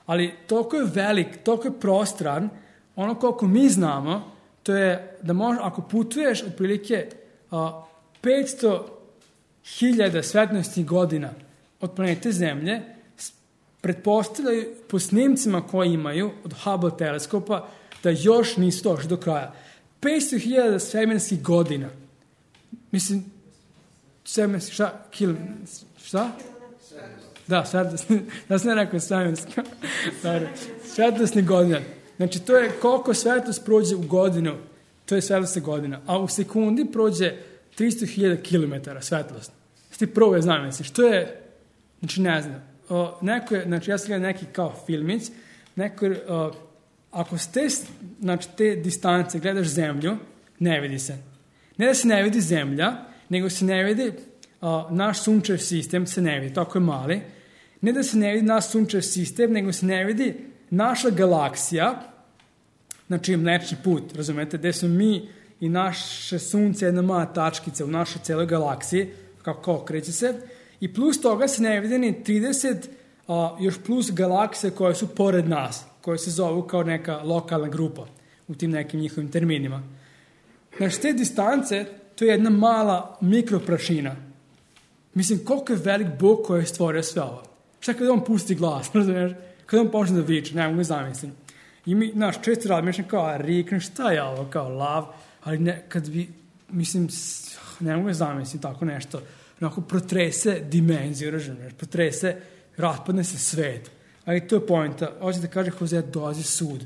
Ali toliko je velik, toliko je prostran, ono koliko mi znamo, to je da možeš, ako putuješ otprilike uh, petsto hiljada svetlosnih godina od planete Zemlje, pretpostavljaju po snimcima koje imaju od Hubble teleskopa da još nisu došli do kraja. petsto hiljada svemirskih godina. Mislim, svemirski, šta? Kil, šta? Da, svetlosni, da sam ne rekao svemirska. Svetlosnih godina. Znači, to je koliko svetlost prođe u godinu, to je svetlosna godina. A u sekundi prođe tristo hiljada kilometara svetlost. Sti prvo je znam, mislim, što je, znači, ne znam. O, neko je, znači, ja sam gledao neki kao filmić, neko je, o, ako ste, znači, te distance gledaš zemlju, ne vidi se. Ne da se ne vidi zemlja, nego se ne vidi o, naš sunčev sistem, se ne vidi, tako je mali. Ne da se ne vidi naš sunčev sistem, nego se ne vidi naša galaksija, znači Mlečni put, razumete, gde smo mi i naše sunce jedna mala tačkica u našoj celoj galaksiji, kako kreće se, i plus toga se ne vidi ni trideset a, još plus galaksije koje su pored nas, koje se zovu kao neka lokalna grupa u tim nekim njihovim terminima. Znači, te distance, to je jedna mala mikroprašina. Mislim, koliko je velik Bog koji je stvorio sve ovo. Šta kada on pusti glas, razumiješ? Kada on počne da viče, ne mogu zamislim. I mi, znaš, često razmišljam kao, a rikne, šta je ovo, kao lav, ali ne, kad bi, mislim, ne mogu zamislim tako nešto, onako protrese dimenziju, razumiješ, protrese, raspadne se svet. Ali to je pojenta, hoće da kaže Hozea, dolazi sud,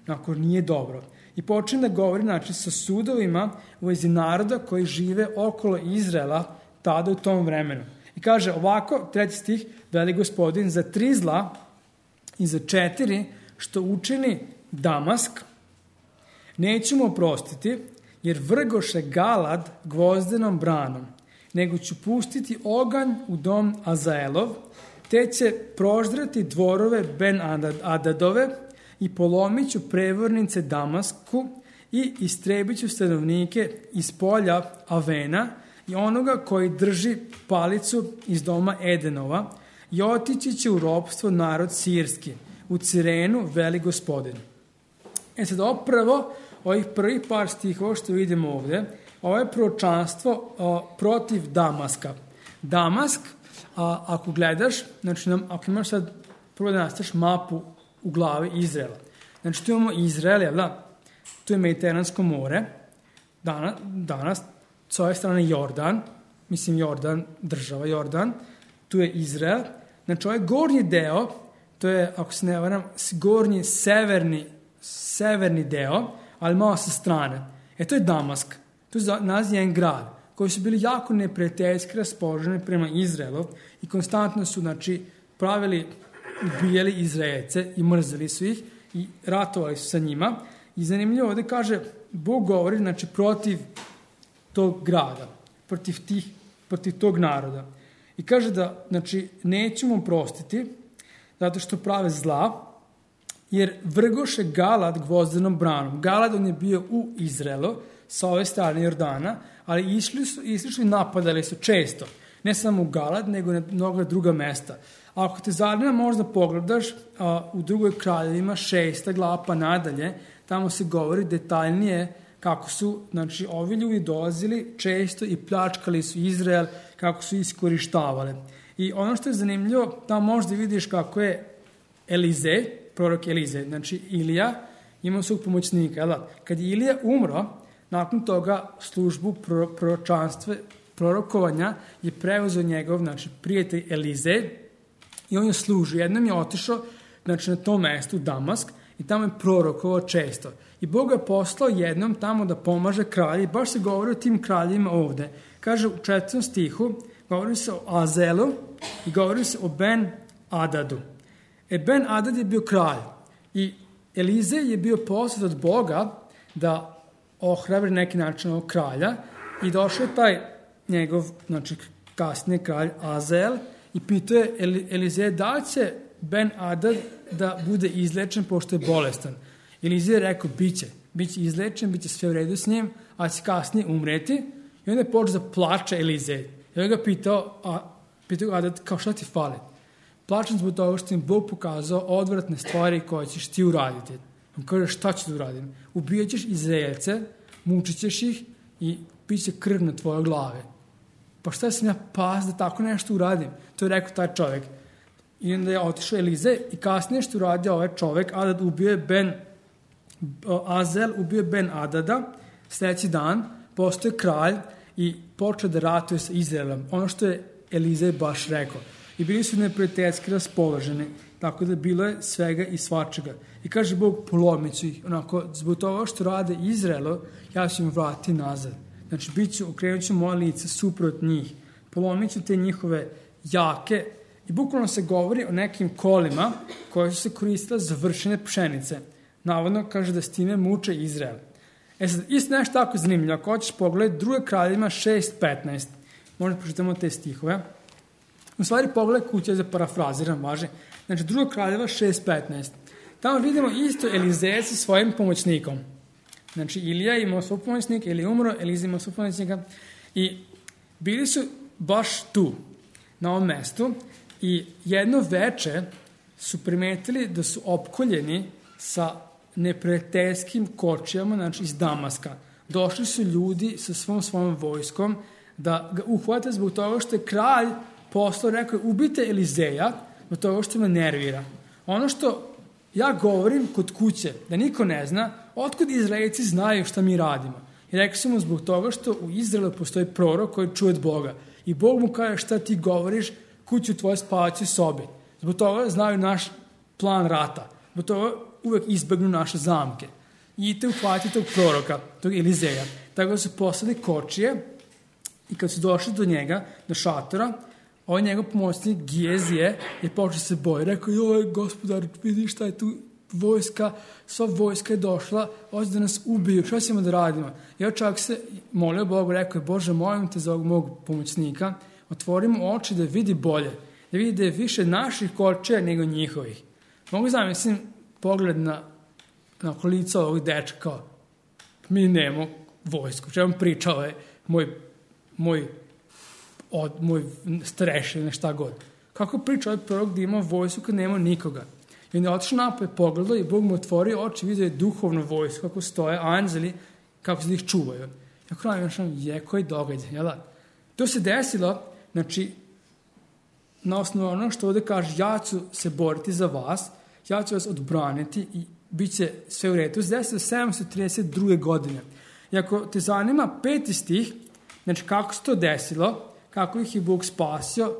onako nije dobro. I počne da govori, znači, sa sudovima u vezi naroda koji žive okolo Izraela tada u tom vremenu. I kaže ovako, treći stih, veli Gospodin, za tri zla i za četiri što učini Damask, neću mu oprostiti, jer vrgoše Galad gvozdenom branom, nego ću pustiti oganj u dom Azaelov, te će proždrati dvorove Ben Adadove i polomit ću prevornice Damasku i istrebit ću stanovnike iz polja Avena i onoga koji drži palicu iz doma Edenova i otići će u ropstvo narod sirski, u Cirenu veli Gospodin. E sad, ovo prvo, ovih prvih par stihova što vidimo ovde, ovo je proročanstvo a, protiv Damaska. Damask, a, ako gledaš, znači nam, ako imaš sad prvo da nastaviš mapu u glavi Izraela. Znači tu imamo Izrael, jel da? Tu je Mediteransko more, danas, danas s ove strane Jordan, mislim Jordan, država Jordan, tu je Izrael. Znači ovaj gornji deo, to je, ako se ne varam, gornji severni, severni deo, ali malo sa strane. E to je Damask. Tu je nalazi jedan grad koji su bili jako neprijateljski raspoloženi prema Izraelu i konstantno su, znači, pravili, ubijali Izraelce i mrzeli su ih i ratovali su sa njima. I zanimljivo ovde kaže, Bog govori, znači, protiv tog grada, protiv, tih, protiv tog naroda. I kaže da, znači, nećemo prostiti zato što prave zla, jer vrgoše Galad gvozdenom branom. Galad, on je bio u Izraelu, sa ove strane Jordana, ali išli su, išli su i napadali su često. Ne samo u Galad, nego na mnoga druga mesta. Ako te zanima, možda pogledaš, a, u drugoj kraljevima šesta glava pa nadalje, tamo se govori detaljnije kako su, znači, ovi ljudi dolazili često i pljačkali su Izrael, kako su iskorištavali. I ono što je zanimljivo, tamo možda vidiš kako je Elize, prorok Elize, znači Ilija, imao svog pomoćnika. Jel? Kad je Ilija umro, nakon toga službu proročanstva, prorokovanja je preuzeo njegov, znači, prijatelj Elize i on je služio. Jednom je otišao, znači, na tom mestu, Damask, i tamo je prorokovao često. I Bog je poslao jednom tamo da pomaže kralji. Baš se govori o tim kraljima ovde. Kaže u četvrtom stihu, govori se o Azelu i govori se o Ben Adadu. E Ben Adad je bio kralj i Elize je bio poslat od Boga da ohrabri neki način ovog kralja i došao je taj njegov, znači, kasnije kralj Azel i pitao je Elize da li će Ben Adad da bude izlečen pošto je bolestan. Elize je rekao, bit će, bit će izlečen, bit će sve u redu s njim, a će kasnije umreti. I onda je počeo da plače Elize. I onda ga pitao, a, pitao ga Adad, kao šta ti fali? Plačem zbog toga što im Bog pokazao odvratne stvari koje ćeš ti uraditi. On kaže, šta ću da uradim? Ubijat ćeš Izraelce, mučit ćeš ih i bit će krv na tvojoj glave. Pa šta sam ja pas da tako nešto uradim? To je rekao taj čovjek. I onda je otišao Elize i kasnije što uradio ovaj čovjek, Adad ubio je Ben, Azel ubio je Ben Adada, sljedeći dan postoje kralj i počeo da ratuje sa Izraelom. Ono što je Elize baš rekao. I bili su neprijateljski raspoloženi, tako da bilo je svega i svačega. I kaže Bog, polomit ću ih. Onako, zbog toga što rade Izraelu, ja ću im vratiti nazad. Znači, bit ću, okrenut ću moje lice suprot njih. Polomit ću te njihove jake. I bukvalno se govori o nekim kolima koje su se koristile za vršenje pšenice. Navodno kaže da s time muče Izrael. E sad, isto nešto tako zanimljivo. Ako hoćeš pogledati druge kraljevima šest petnaest, možda pročitamo te stihove. U stvari pogledaj kuće za parafraziram, važe. Znači, druga kraljeva šest petnaest. Tamo vidimo isto Elizeja sa svojim pomoćnikom. Znači, Ilija imao svog pomoćnika, Ilija umro, Eliza imao svog pomoćnika. I bili su baš tu, na ovom mestu. I jedno veče su primetili da su opkoljeni sa neprijateljskim kočijama, znači iz Damaska. Došli su ljudi sa svom svojom vojskom da ga uhvate zbog toga što je kralj poslao, rekao je, ubite Elizeja zbog toga što me nervira. Ono što ja govorim kod kuće, da niko ne zna, otkud Izraelci znaju šta mi radimo. I rekao sam mu zbog toga što u Izraelu postoji prorok koji čuje od Boga. I Bog mu kaže šta ti govoriš kuću tvoje spavaće sobi. Zbog toga znaju naš plan rata. Zbog toga uvek izbegnu naše zamke. I idite uhvatiti tog proroka, tog Elizeja. Tako da su poslali kočije i kad su došli do njega, do šatora, ovaj njegov pomoćnik Gijezije je počeo se boji. Rekao, joj, gospodar, vidi šta je tu vojska, sva vojska je došla, hoće da nas ubiju, šta ćemo da radimo? I ovaj čak se molio Bogu, rekao je, Bože, molim te za ovog mog pomoćnika, otvorimo oči da vidi bolje, da vidi da je više naših kočija nego njihovih. Mogu zamislim pogled na, na lica ovog dečka, kao, mi nemamo vojsku, što vam pričao je moj, moj, od, moj starešin, šta god. Kako priča ovaj prorok da ima vojsku kad nema nikoga? I onda je otišao napoj, pogledao i Bog mu otvorio oči, vidio je duhovnu vojsku, kako stoje, anđeli, kako se ih čuvaju. Ja kraj našam, je koji događaj, jel da? To se desilo, znači, na osnovu ono što ovdje kaže, ja ću se boriti za vas, ja ću vas odbraniti i bit će sve u redu. To se desilo sedamsto trideset druge godine. I ako te zanima peti stih, znači kako se to desilo, kako ih je Bog spasio,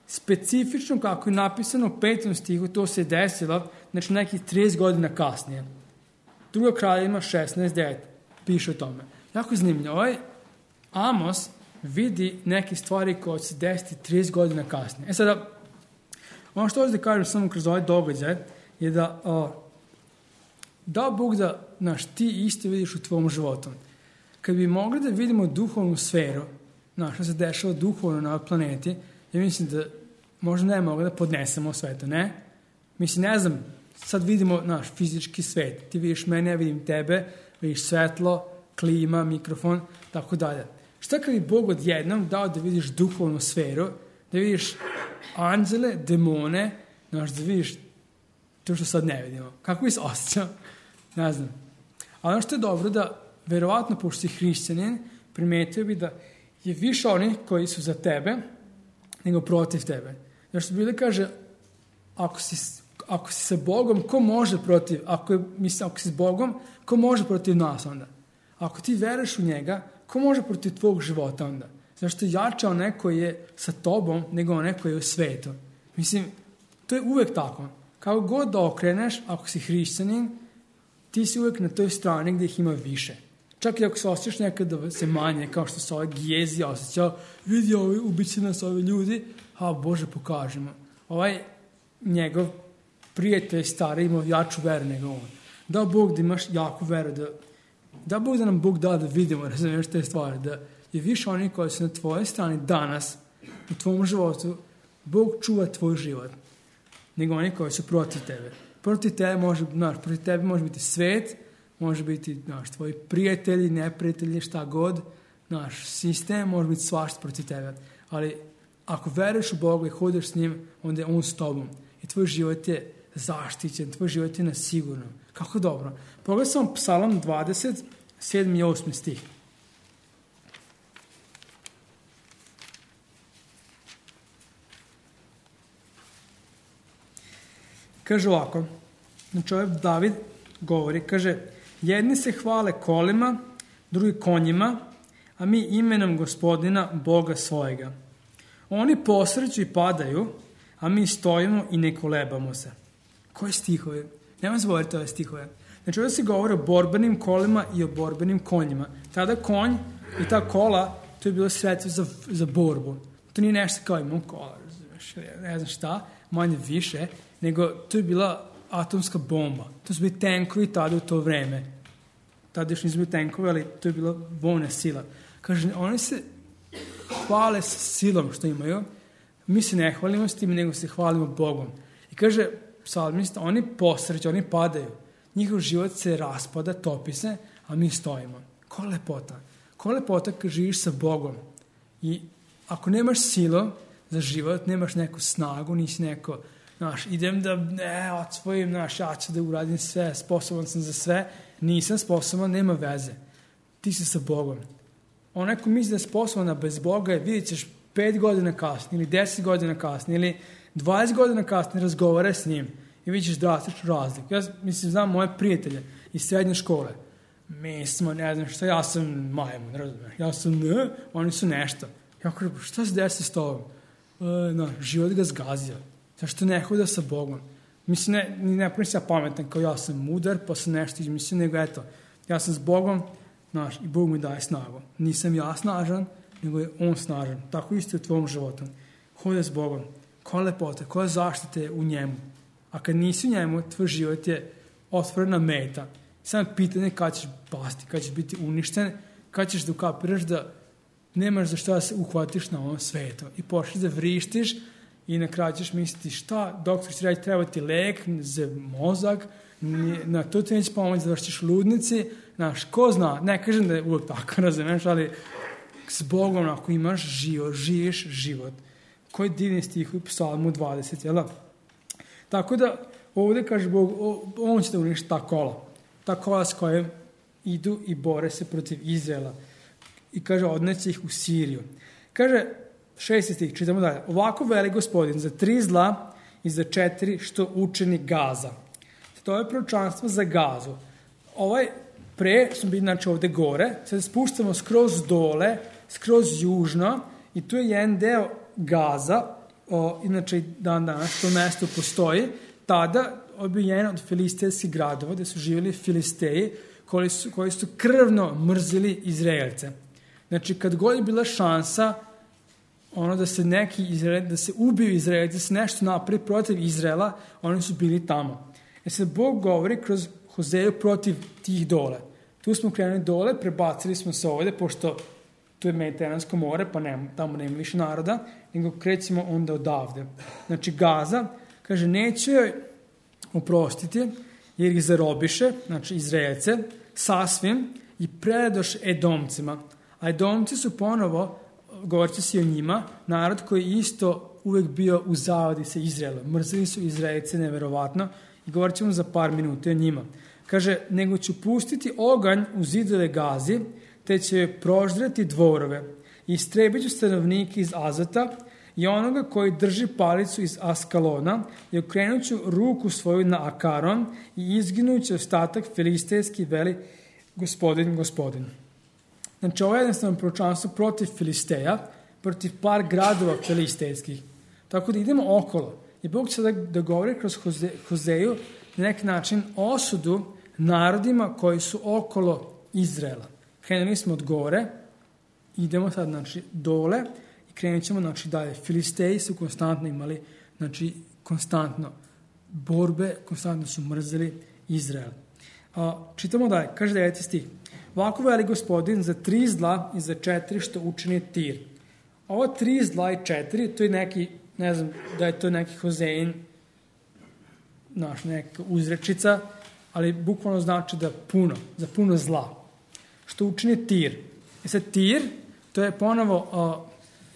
specifično kako je napisano u petom stihu, to se desilo, znači nekih trideset godina kasnije. Druga Kraljevima šesnaest devet piše o tome. Jako zanimljivo. Ovaj Amos vidi neke stvari koje će se desiti trideset godina kasnije. E sada, ono što ovdje kažem samo kroz ovaj događaj je da o, da Bog da naš, ti isto vidiš u tvom životu. Kad bi mogli da vidimo duhovnu sferu, naš, što se dešava duhovno na ovoj planeti, ja mislim da možda ne mogu da podnesemo sve to, ne? Mislim, ne znam, sad vidimo naš fizički svet. Ti vidiš mene, ja vidim tebe, vidiš svetlo, klima, mikrofon, tako dalje. Šta kad bi Bog odjednom dao da vidiš duhovnu sferu, da vidiš anđele, demone, znaš, da vidiš to što sad ne vidimo. Kako bi se osjećao? Ne znam. Ali ono što je dobro da, verovatno, pošto si hrišćanin, primetio bi da je više onih koji su za tebe, nego protiv tebe. Jer što Biblia kaže, ako si, ako si sa Bogom, ko može protiv, ako, je, mislim, ako si s Bogom, ko može protiv nas onda? Ako ti veruješ u njega, ko može protiv tvog života onda? Zašto je jače onaj koji je sa tobom, nego onaj koji je u svetu. Mislim, to je uvek tako. Kako god da okreneš, ako si hrišćanin, ti si uvek na toj strani gdje ih ima više. Čak i ako se osjećaš nekad da se manje, kao što se ovaj Gijezi osjećao, vidi ovi, ubiće nas ovi ljudi, a Bože pokažemo. Ovaj njegov prijatelj stari imao jaču veru nego on. Da Bog da imaš jaku veru, da, da Bog da nam Bog da da vidimo, razumiješ te stvari, da je više oni koji su na tvojoj strani danas, u tvom životu, Bog čuva tvoj život, nego oni koji su protiv tebe. Protiv tebe može, znaš, protiv tebe može biti svet, može biti, znaš, tvoji prijatelji, neprijatelji, šta god, naš sistem može biti svašta protiv tebe. Ali ako veruješ u Boga i hodeš s njim, onda je on s tobom. I tvoj život je zaštićen, tvoj život je na sigurnom. Kako dobro. Pogledaj samo Psalam dvadeset, sedmi i osmi stih. Kaže ovako, znači ovaj David govori, kaže, jedni se hvale kolima, drugi konjima, a mi imenom Gospodina, Boga svojega. Oni posreću i padaju, a mi stojimo i ne kolebamo se. Koje stihove? Nemam zboriti ove stihove. Znači ovdje se govori o borbenim kolima i o borbenim konjima. Tada konj i ta kola, to je bilo sredstvo za, za borbu. To nije nešto kao imam kola, ne znam šta, manje više, nego to je bila atomska bomba. To su bili tenkovi tada u to vreme. Tada još nisu bili tenkovi, ali to je bila vojna sila. Kaže, oni se hvale s silom što imaju. Mi se ne hvalimo s tim, nego se hvalimo Bogom. I kaže, psalmista, oni posreću, oni padaju. Njihov život se raspada, topi se, a mi stojimo. Ko lepota? Ko lepota kad živiš sa Bogom? I ako nemaš silo za život, nemaš neku snagu, nisi neko, znaš, idem da, ne, odsvojim, znaš, ja ću da uradim sve, sposoban sam za sve, nisam sposoban, nema veze. Ti si sa Bogom. Onaj ko misli da je sposoban, a bez Boga je, vidjet ćeš pet godina kasnije, ili deset godina kasnije, ili dvadeset godina kasnije razgovara s njim i vidjet ćeš drastičnu razliku. Ja mislim, znam moje prijatelje iz srednje škole. Mi smo, ne znam što, ja sam majmun, razumiješ, ja sam ne, oni su nešto. Ja kažem, šta se desi s tobom? E, no, život ga zgazio. Zašto ne hoda sa Bogom? Mislim, ne, ne pravim se ja pametan kao ja sam mudar, pa sam nešto izmislio, nego eto, ja sam s Bogom, znaš, i Bog mi daje snagu. Nisam ja snažan, nego je on snažan. Tako isto je u tvom životu. Hoda s Bogom. Koja lepota, koja zaštite u njemu. A kad nisi u njemu, tvoj život je otvorena meta. Samo pitanje kada ćeš pasti, kada ćeš biti uništen, kada ćeš da ukapiraš da nemaš za šta da se uhvatiš na ovom svetu. I počneš da vrištiš i na kraju ćeš misliti šta, doktor će raditi, treba ti lek za mozak, na to ti neće pomoći da vršiš ludnici, znaš, ko zna, ne kažem da je uvijek tako, razumiješ, ali s Bogom ako imaš život, živiš život. Koji divni stih u Psalmu dvadeset, jel da? Tako da, ovde kaže Bog, on će da uništi ta kola. Ta kola s kojim idu i bore se protiv Izraela. I kaže, odneće ih u Siriju. Kaže, šesti stih, čitamo dalje. Ovako veli Gospodin za tri zla i za četiri što učini Gaza. To je proročanstvo za Gazu. Ovaj pre smo bili znači ovde gore, sad spuštamo skroz dole, skroz južno i tu je jedan deo Gaza, o, inače dan danas to mesto postoji, tada je jedan od filistejskih gradova gde su živjeli Filisteji koji su, koji su krvno mrzili Izraelce. Znači kad god je bila šansa ono da se neki Izrael, da se ubiju Izraelci, da se nešto napravi protiv Izraela, oni su bili tamo. E sad Bog govori kroz Hozeju protiv tih dole. Tu smo krenuli dole, prebacili smo se ovde, pošto tu je Mediteransko more, pa nema, tamo nema više naroda, nego krećemo onda odavde. Znači Gaza, kaže, neće joj oprostiti, jer ih zarobiše, znači Izraelce, sasvim i predadoše Edomcima. A Edomci su ponovo, govorit će se o njima, narod koji isto uvek bio u zavadi sa Izraelom. Mrzili su Izraelce neverovatno i govorit ćemo za par minuta o njima. Kaže, nego ću pustiti oganj u zidove Gazi, te će joj proždrati dvorove. I istrebit ću stanovnike iz Azota i onoga koji drži palicu iz Askalona i okrenut ću ruku svoju na Akaron i izginut će ostatak filistejski veli Gospodin, Gospodin. Znači, ovo je jednostavno proročanstvo protiv Filisteja, protiv par gradova filistejskih. Tako da idemo okolo. I Bog će da, da govori kroz Hoze, Hozeju na neki način osudu narodima koji su okolo Izraela. Krenuli smo od gore, idemo sad znači, dole i krenut ćemo znači, dalje. Filisteji su konstantno imali znači, konstantno borbe, konstantno su mrzeli Izrael. A, čitamo dalje, kaže deveti stih. Ovako veli Gospodin za tri zla i za četiri što učini Tir. Ovo tri zla i četiri, to je neki, ne znam da je to neki Hozejin, naš neka uzrečica, ali bukvalno znači da puno, za puno zla. Što učini Tir. E sad Tir, to je ponovo uh,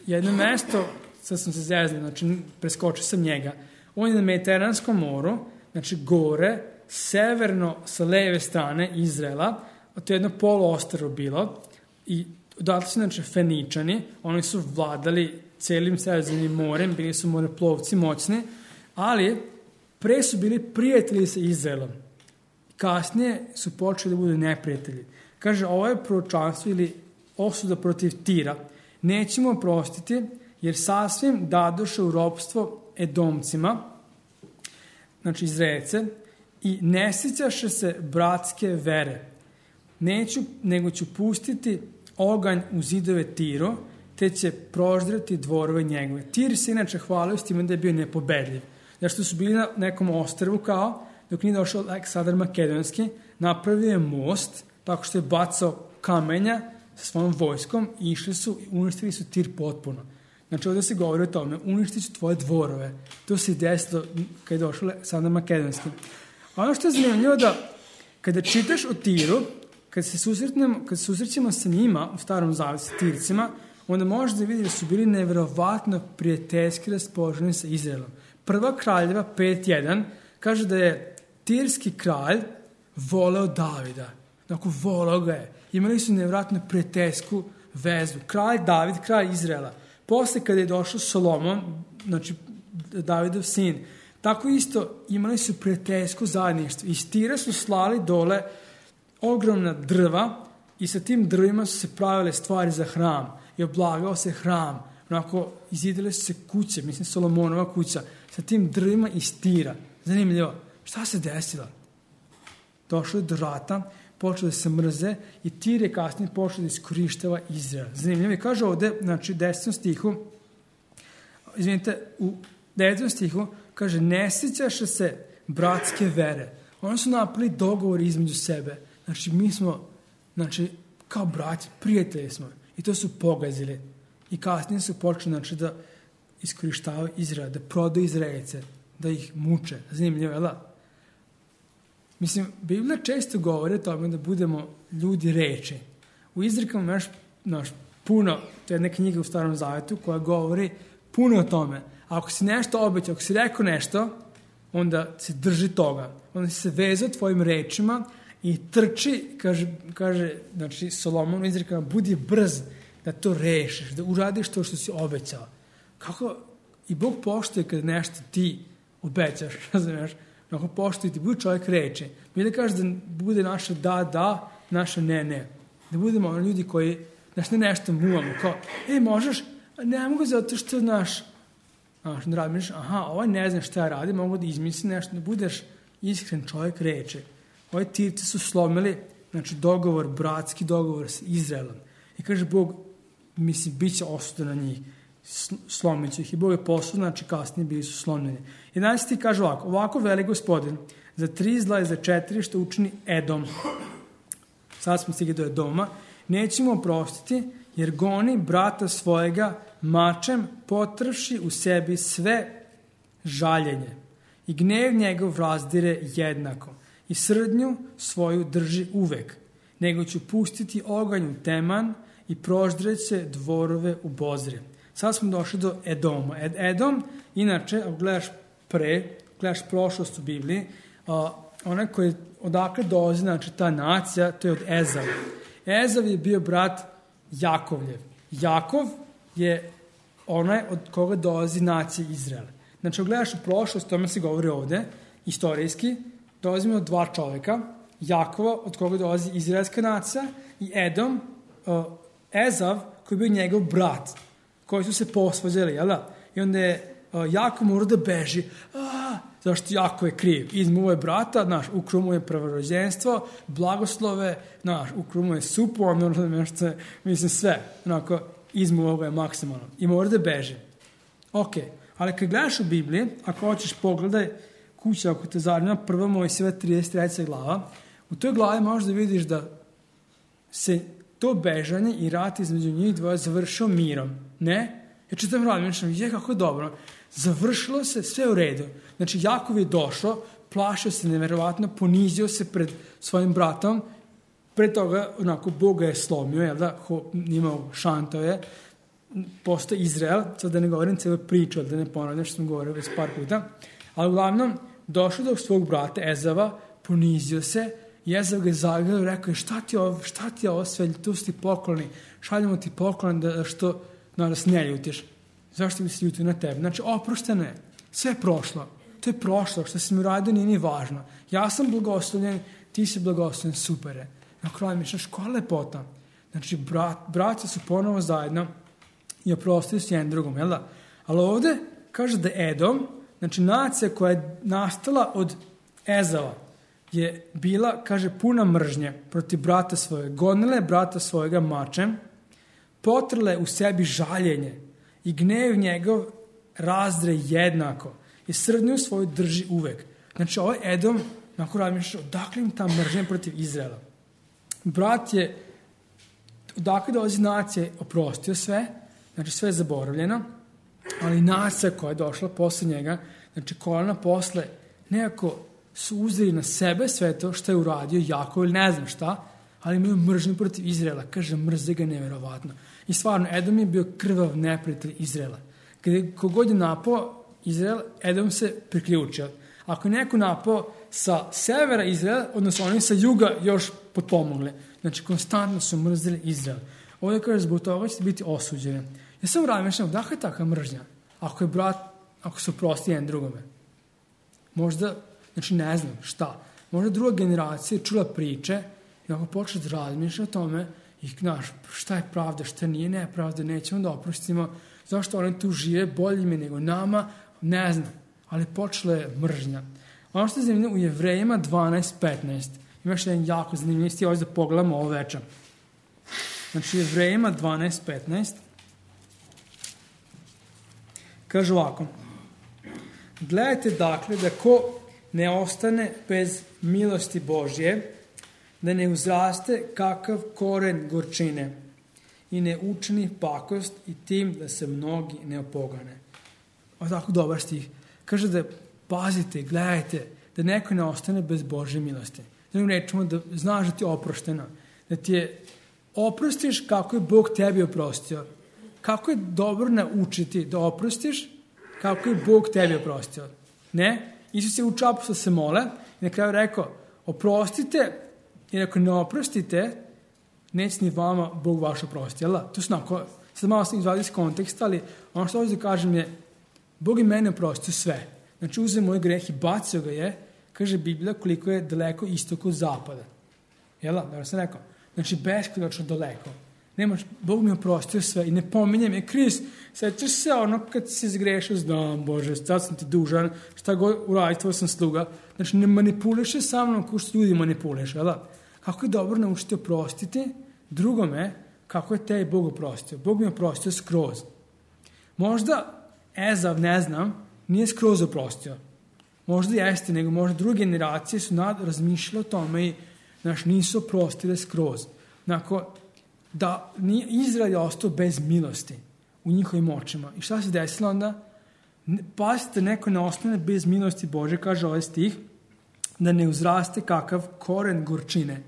jedno mesto, sad sam se zeznio, znači preskočio sam njega. On je na Mediteranskom moru, znači gore, severno sa leve strane Izraela, a to je jedno poluostrvo bilo i odatle su znači Feničani, oni su vladali celim Sredozemnim morem, bili su moreplovci moćni, ali pre su bili prijatelji sa Izraelom. Kasnije su počeli da budu neprijatelji. Kaže, ovo je proročanstvo ili osuda protiv Tira. Nećemo oprostiti, jer sasvim dadoše u ropstvo Edomcima, znači Izraelce, i ne sjećaše se bratske vere. Neću, nego ću pustiti oganj u zidove Tiro, te će proždrati dvorove njegove. Tir se inače hvalio s time da je bio nepobedljiv. Zašto su bili na nekom ostrvu kao, dok nije došao Aleksandar Makedonski, napravio je most, tako što je bacao kamenja sa svojom vojskom i išli su i uništili su Tir potpuno. Znači ovdje se govori o tome, uništit ću tvoje dvorove. To se i desilo kada je došao Aleksandar Makedonski. A ono što je zanimljivo da kada čitaš o Tiru, kad se susretnemo, kad se susrećemo sa njima u Starom Zavetu sa Tircima, onda možeš da vidi da su bili neverovatno prijateljski raspoloženi sa Izraelom. Prva kraljeva pet jedan kaže da je tirski kralj voleo Davida. Dakle, voleo ga je. Imali su nevjerojatno prijateljsku vezu. Kralj David, kralj Izraela. Posle kada je došao Solomon, znači Davidov sin, tako isto imali su prijateljsko zajedništvo. Iz Tira su slali dole ogromna drva i sa tim drvima su se pravile stvari za hram i oblagao se hram. Onako, izidele su se kuće, mislim Solomonova kuća, sa tim drvima iz Tira. Zanimljivo. Šta se desilo? Došlo je do rata, počelo da se mrze i Tir je kasnije počelo da iskorištava Izrael. Zanimljivo je, kaže ovde, znači, desetom stihu, izvinite, u devetom stihu, kaže, ne sjećaše se bratske vere. Oni su napravili dogovor između sebe. Znači, mi smo, znači, kao braći, prijatelji smo. I to su pogazili. I kasnije su počeli, znači, da iskorištavaju Izrael, da prodaju Izraelce, da ih muče. Zanimljivo, je da? Mislim, Biblija često govori o tome da budemo ljudi reči. U izrekama imaš, znaš, puno, to je jedna knjiga u Starom Zavetu koja govori puno o tome. A ako si nešto obećao, ako si rekao nešto, onda se drži toga. Onda se vezao tvojim rečima i trči, kaže, kaže znači Solomon izreka, budi brz da to rešiš, da uradiš to što si obećao. Kako i Bog poštuje kad nešto ti obećaš, razumiješ? Ako poštuje ti, budi čovjek reči. Mi da kažeš da bude naša da, da, naša ne, ne. Da budemo ono ljudi koji, znaš, ne nešto muvamo, kao, ej, možeš, ne mogu zato što, znaš, znaš, ne radiš, aha, ovaj ne zna šta ja radim, mogu da izmisli nešto, da budeš iskren čovjek reči. Ovi Tirci su slomili, znači, dogovor, bratski dogovor sa Izraelom. I kaže Bog, mislim, bit će osuda na njih. Slomit će ih. I Bog je poslao, znači kasnije bili su slomljeni. jedanaesti kaže ovako, ovako veli Gospodin, za tri zla i za četiri što učini Edom. Sad smo stigli do Edoma. Nećemo oprostiti, jer goni brata svojega mačem, potrši u sebi sve žaljenje. I gnev njegov razdire jednako. I srdnju svoju drži uvek. Nego ću pustiti oganj u teman i proždreće dvorove u bozre. Sad smo došli do Edoma. Ed, Edom, inače, ako gledaš pre, gledaš prošlost u Bibliji, a, onaj koji odakle dolazi, znači ta nacija, to je od Ezava. Ezav je bio brat Jakovljev. Jakov je onaj od koga dolazi nacija Izraela. Znači, ako gledaš u prošlost, tome se govori ovde, istorijski, dolazimo od dva čoveka, Jakova, od koga dolazi izraelska nacija, i Edom, uh, Ezav, koji je bio njegov brat, koji su se posvađali, jel da? I onda je uh, Jakov morao da beži. A, zašto Jakov je kriv? Izmuo je brata, znaš, ukruo mu je prvorođenstvo, blagoslove, znaš, ukruo mu je supu, ono, nešto, mislim, sve. Onako, izmuo ga je maksimalno. I mora da beži. Ok, ali kad gledaš u Bibliji, ako hoćeš pogledaj kuća, ako te zanima, prva Mojsijeva trideset treća glava, u toj glavi možeš da vidiš da se to bežanje i rat između njih dvoje završio mirom. Ne? Ja čitam rad, mišljam, je kako dobro. Završilo se, sve u redu. Znači, Jakov je došao, plašio se neverovatno, ponizio se pred svojim bratom, pre toga, onako, Boga je slomio, jel da, Ho, imao šanto je, postao Izrael, sad da ne govorim celu priču, da ne ponavljam što sam govorio već par puta, ali uglavnom, došao do svog brata Ezava, ponizio se, i Ezav ga je zagrao i rekao, šta ti je ovo, šta ti je ovo sve, tu su ti pokloni, šaljemo ti poklon da što no, da se ne ljutiš. Zašto bi se ljutio na tebe? Znači, oprošteno je, sve je prošlo, to je prošlo, što si mi uradio nije ni važno. Ja sam blagoslovljen, ti si blagoslovljen, super je. Na kraju mi šaš, koja lepota. Znači, brat, braća su ponovo zajedno i oprostili su jedan drugom, jel da? Ali ovde kaže da Edom, znači nacija koja je nastala od Ezava, je bila, kaže, puna mržnje protiv brata svojeg. Gonile brata svojega mačem, potrle u sebi žaljenje i gnev njegov razdre jednako i srdnju svoju drži uvek. Znači, ovaj Edom, nakon razmišljaš, odakle im ta mržnja protiv Izraela? Brat je, odakle dolazi nacija, oprostio sve, znači sve je zaboravljeno, ali nacija koja je došla posle njega, znači kolena posle, nekako su uzeli na sebe sve to što je uradio Jakov ili ne znam šta, ali imaju mržnju protiv Izraela. Kaže, mrze ga neverovatno. I stvarno, Edom je bio krvav neprijatelj Izraela. Kada kogod je napao Izrael, Edom se priključio. Ako je neko napao sa severa Izraela, odnosno oni sa juga još potpomogli. Znači, konstantno su mrzili Izrael. Ovdje kaže, zbog toga ćete biti osuđeni. Ja sam razmišljam, dakle je takva mržnja? Ako je brat, ako su prosti jedan drugome. Možda, znači ne znam šta, možda druga generacija je čula priče i ako počne da razmišlja o tome i znaš, šta je pravda, šta nije nepravda, nećemo da oprostimo, zašto oni tu žive bolje ime nego nama, ne znam, ali počela je mržnja. Ono što je zanimljivo u Jevrejima dvanaest petnaest, imaš jedan jako zanimljiv stih, ovdje da pogledamo ovo večer. Znači, Jevrejima dvanaest petnaest kaže ovako, gledajte dakle da ko ne ostane bez milosti Božje, da ne uzraste kakav koren gorčine i ne učini pakost i tim da se mnogi ne opogane. Ovo je tako dobar stih. Kaže da pazite, gledajte, da neko ne ostane bez Božje milosti. Da ne rečemo da znaš da ti je oprošteno, da ti je oprostiš kako je Bog tebi oprostio. Kako je dobro naučiti da oprostiš kako je Bog tebi oprostio. Ne? Isus je učio apostole se mole i na kraju rekao, oprostite, jer ako ne oprostite, neće ni vama Bog vaš oprosti. Jel da? To su onako, sad malo sam izvadio iz konteksta, ali ono što ovdje kažem je, Bog i mene oprostio sve. Znači, uzeo moj greh i bacio ga je, kaže Biblija, koliko je daleko istok od zapada. Jel da? Dobro sam rekao. Znači, beskonačno daleko. Nemaš, Bog mi oprostio sve i ne pominjem je, Kris, sećaš se ono kad si zgrešio, znam, Bože, sad sam ti dužan, šta god uraditi, tvoj sam sluga. Znači, ne manipuliše sa mnom kao što ljudi manipuliše, jel da? Kako je dobro naučiti oprostiti drugome, kako je te Bog oprostio. Bog mi oprostio skroz. Možda Ezav, ne znam, nije skroz oprostio. Možda jeste, nego možda druge generacije su nad, razmišljale o tome i znaš, nisu oprostile skroz. Nakon, da nije, Izrael je ostao bez milosti u njihovim očima. I šta se desilo onda? Pazite, neko ne ostane bez milosti Bože, kaže ovaj stih, da ne uzraste kakav koren gorčine.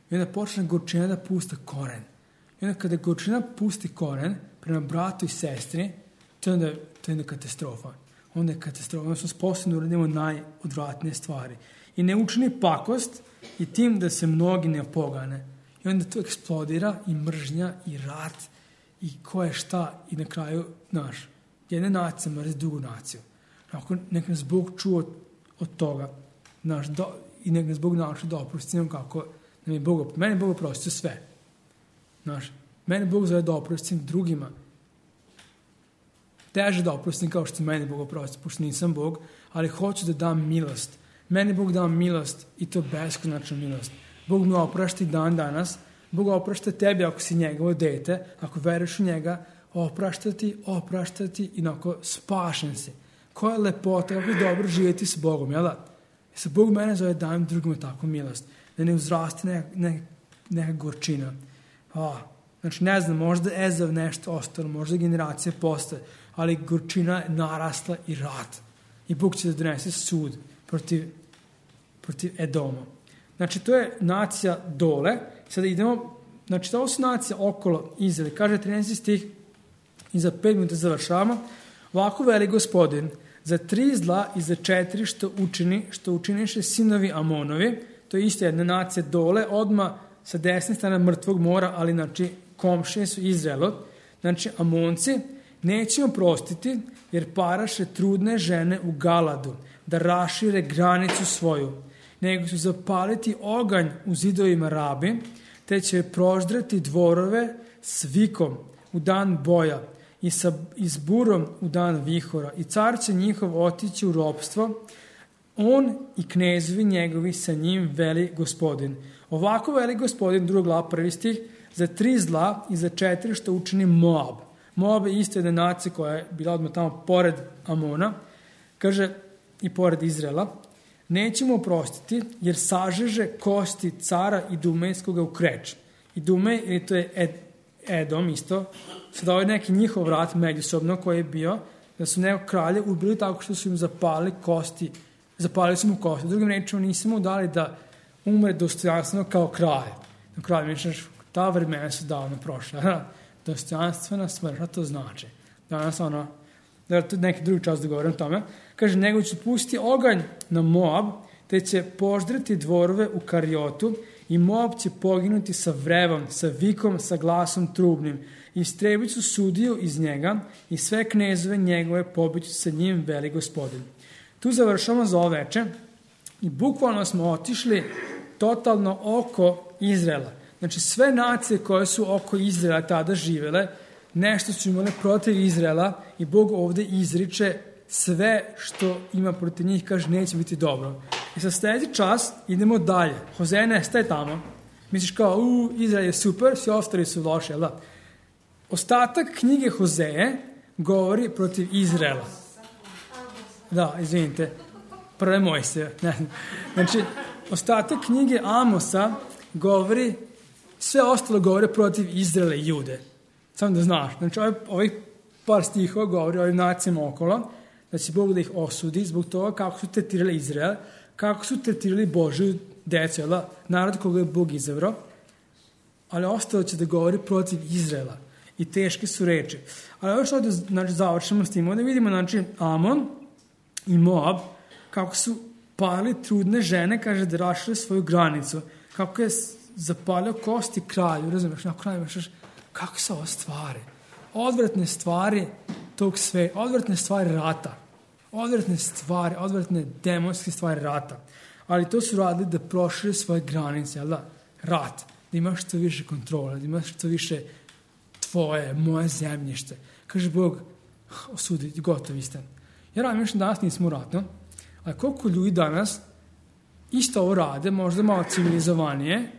I onda počne gorčina da pusta koren. I onda kada gorčina pusti koren prema bratu i sestri, to je onda, to je onda katastrofa. Onda je katastrofa. Onda smo sposobni da uradimo najodvratnije stvari. I ne učini pakost i tim da se mnogi ne opogane. I onda to eksplodira i mržnja i rat i ko je šta i na kraju, znaš, jedna nacija mrzi drugu naciju. Ako nek nas Bog čuo od toga, znaš, do, i nek nas Bog nauči da oprostimo kako nam je Bog, mene Bog oprostio sve. Znaš, mene Bog zove da oprostim drugima. Teže da oprostim kao što mene Bog oprostio, pošto nisam Bog, ali hoću da dam milost. Meni Bog dao milost i to beskonačnu milost. Bog mi oprašta i dan danas. Bog oprašta tebi ako si njegovo dete, ako veruješ u njega, opraštati, opraštati i onako spašen si. Koja je lepota, kako je dobro živjeti s Bogom, jel da? I sa Bog mene zove dajem drugima takvu milost. Da ne uzraste neka, neka, neka gorčina. A, znači, ne znam, možda Ezav nešto ostalo, možda generacije postoje, ali gorčina je narasla i rat. I Bog će da donese sud protiv, protiv Edoma. Znači, to je nacija dole. Sada idemo, znači, to su nacija okolo Izraela. Kaže trinaesti stih i za pet minuta završavamo. Ovako veli Gospodin, za tri zla i za četiri što učini, što učiniše sinovi Amonovi, to je isto jedna nacija dole, odmah sa desne strane mrtvog mora, ali znači komšije su Izraelo. Znači, Amonci nećemo prostiti, jer paraše trudne žene u Galadu, da rašire granicu svoju, nego su zapaliti oganj u zidovima Rabi, te će proždrati dvorove s vikom u dan boja i, sa, i s burom u dan vihora. I car će njihov otići u ropstvo, on i knezovi njegovi sa njim veli Gospodin. Ovako veli Gospodin, druga glava, prvi stih, za tri zla i za četiri što učini Moab. Moab je isto jedna nacija koja je bila odmah tamo pored Amona, kaže i pored Izraela. Nećemo oprostiti, jer sažeže kosti cara i Dumejskoga u kreč. I Dumej, ili to je Ed, Edom isto, sada ovaj neki njihov rat međusobno koji je bio, da su neko kralje ubili tako što su im zapali kosti, zapalili su mu kosti. Drugim rečima nismo mu dali da umre dostojanstveno kao kralj. Na kralj, misliš, ta vremena su davno prošla. Dostojanstvena smrt, a to znači. Danas ono, da to neki drugi čas da govorim o tome, kaže, nego će pustiti oganj na Moab, te će poždreti dvorove u Kariotu i Moab će poginuti sa vrevom, sa vikom, sa glasom trubnim. I istrebit ću sudiju iz njega i sve knezove njegove pobiću sa njim, veli Gospodin. Tu završamo za ovo veče i bukvalno smo otišli totalno oko Izraela. Znači, sve nacije koje su oko Izraela tada živele, nešto su imale protiv Izraela i Bog ovdje izriče sve što ima protiv njih, kaže, neće biti dobro. I sa sljedeći čas idemo dalje. Hozeja nestaje tamo. Misliš kao, u, Izrael je super, svi ostali su loši, jel da? Ostatak knjige Hozeje govori protiv Izraela. Da, izvinite. Prve Mojsije. Znači, ostatak knjige Amosa govori, sve ostalo govori protiv Izraela i Jude. Samo da znaš. Znači, ovih, ovih par stihova govori o ovim nacijama okolo, da će Bog da ih osudi zbog toga kako su tretirali Izrael, kako su tretirali Božju decu, narod koga je Bog izabrao, ali ostalo će da govori protiv Izraela. I teške su reči. Ali ovo što ovdje znači, završimo s tim, ovdje vidimo znači, Amon i Moab, kako su palili trudne žene, kaže, da rašire svoju granicu, kako je zapalio kosti kralju, razumiješ, na kraju imaš, kako su ovo stvari, odvratne stvari tog sve, odvratne stvari rata, odvratne stvari, odvratne demonske stvari rata, ali to su radili da prošire svoje granice, jel da, rat, da imaš što više kontrole, da imaš što više tvoje, moje zemljište. Kaže Bog, osudi, gotovi ste. Jer ja mislim danas nismo u ratu, ali koliko ljudi danas isto ovo rade, možda malo civilizovanije.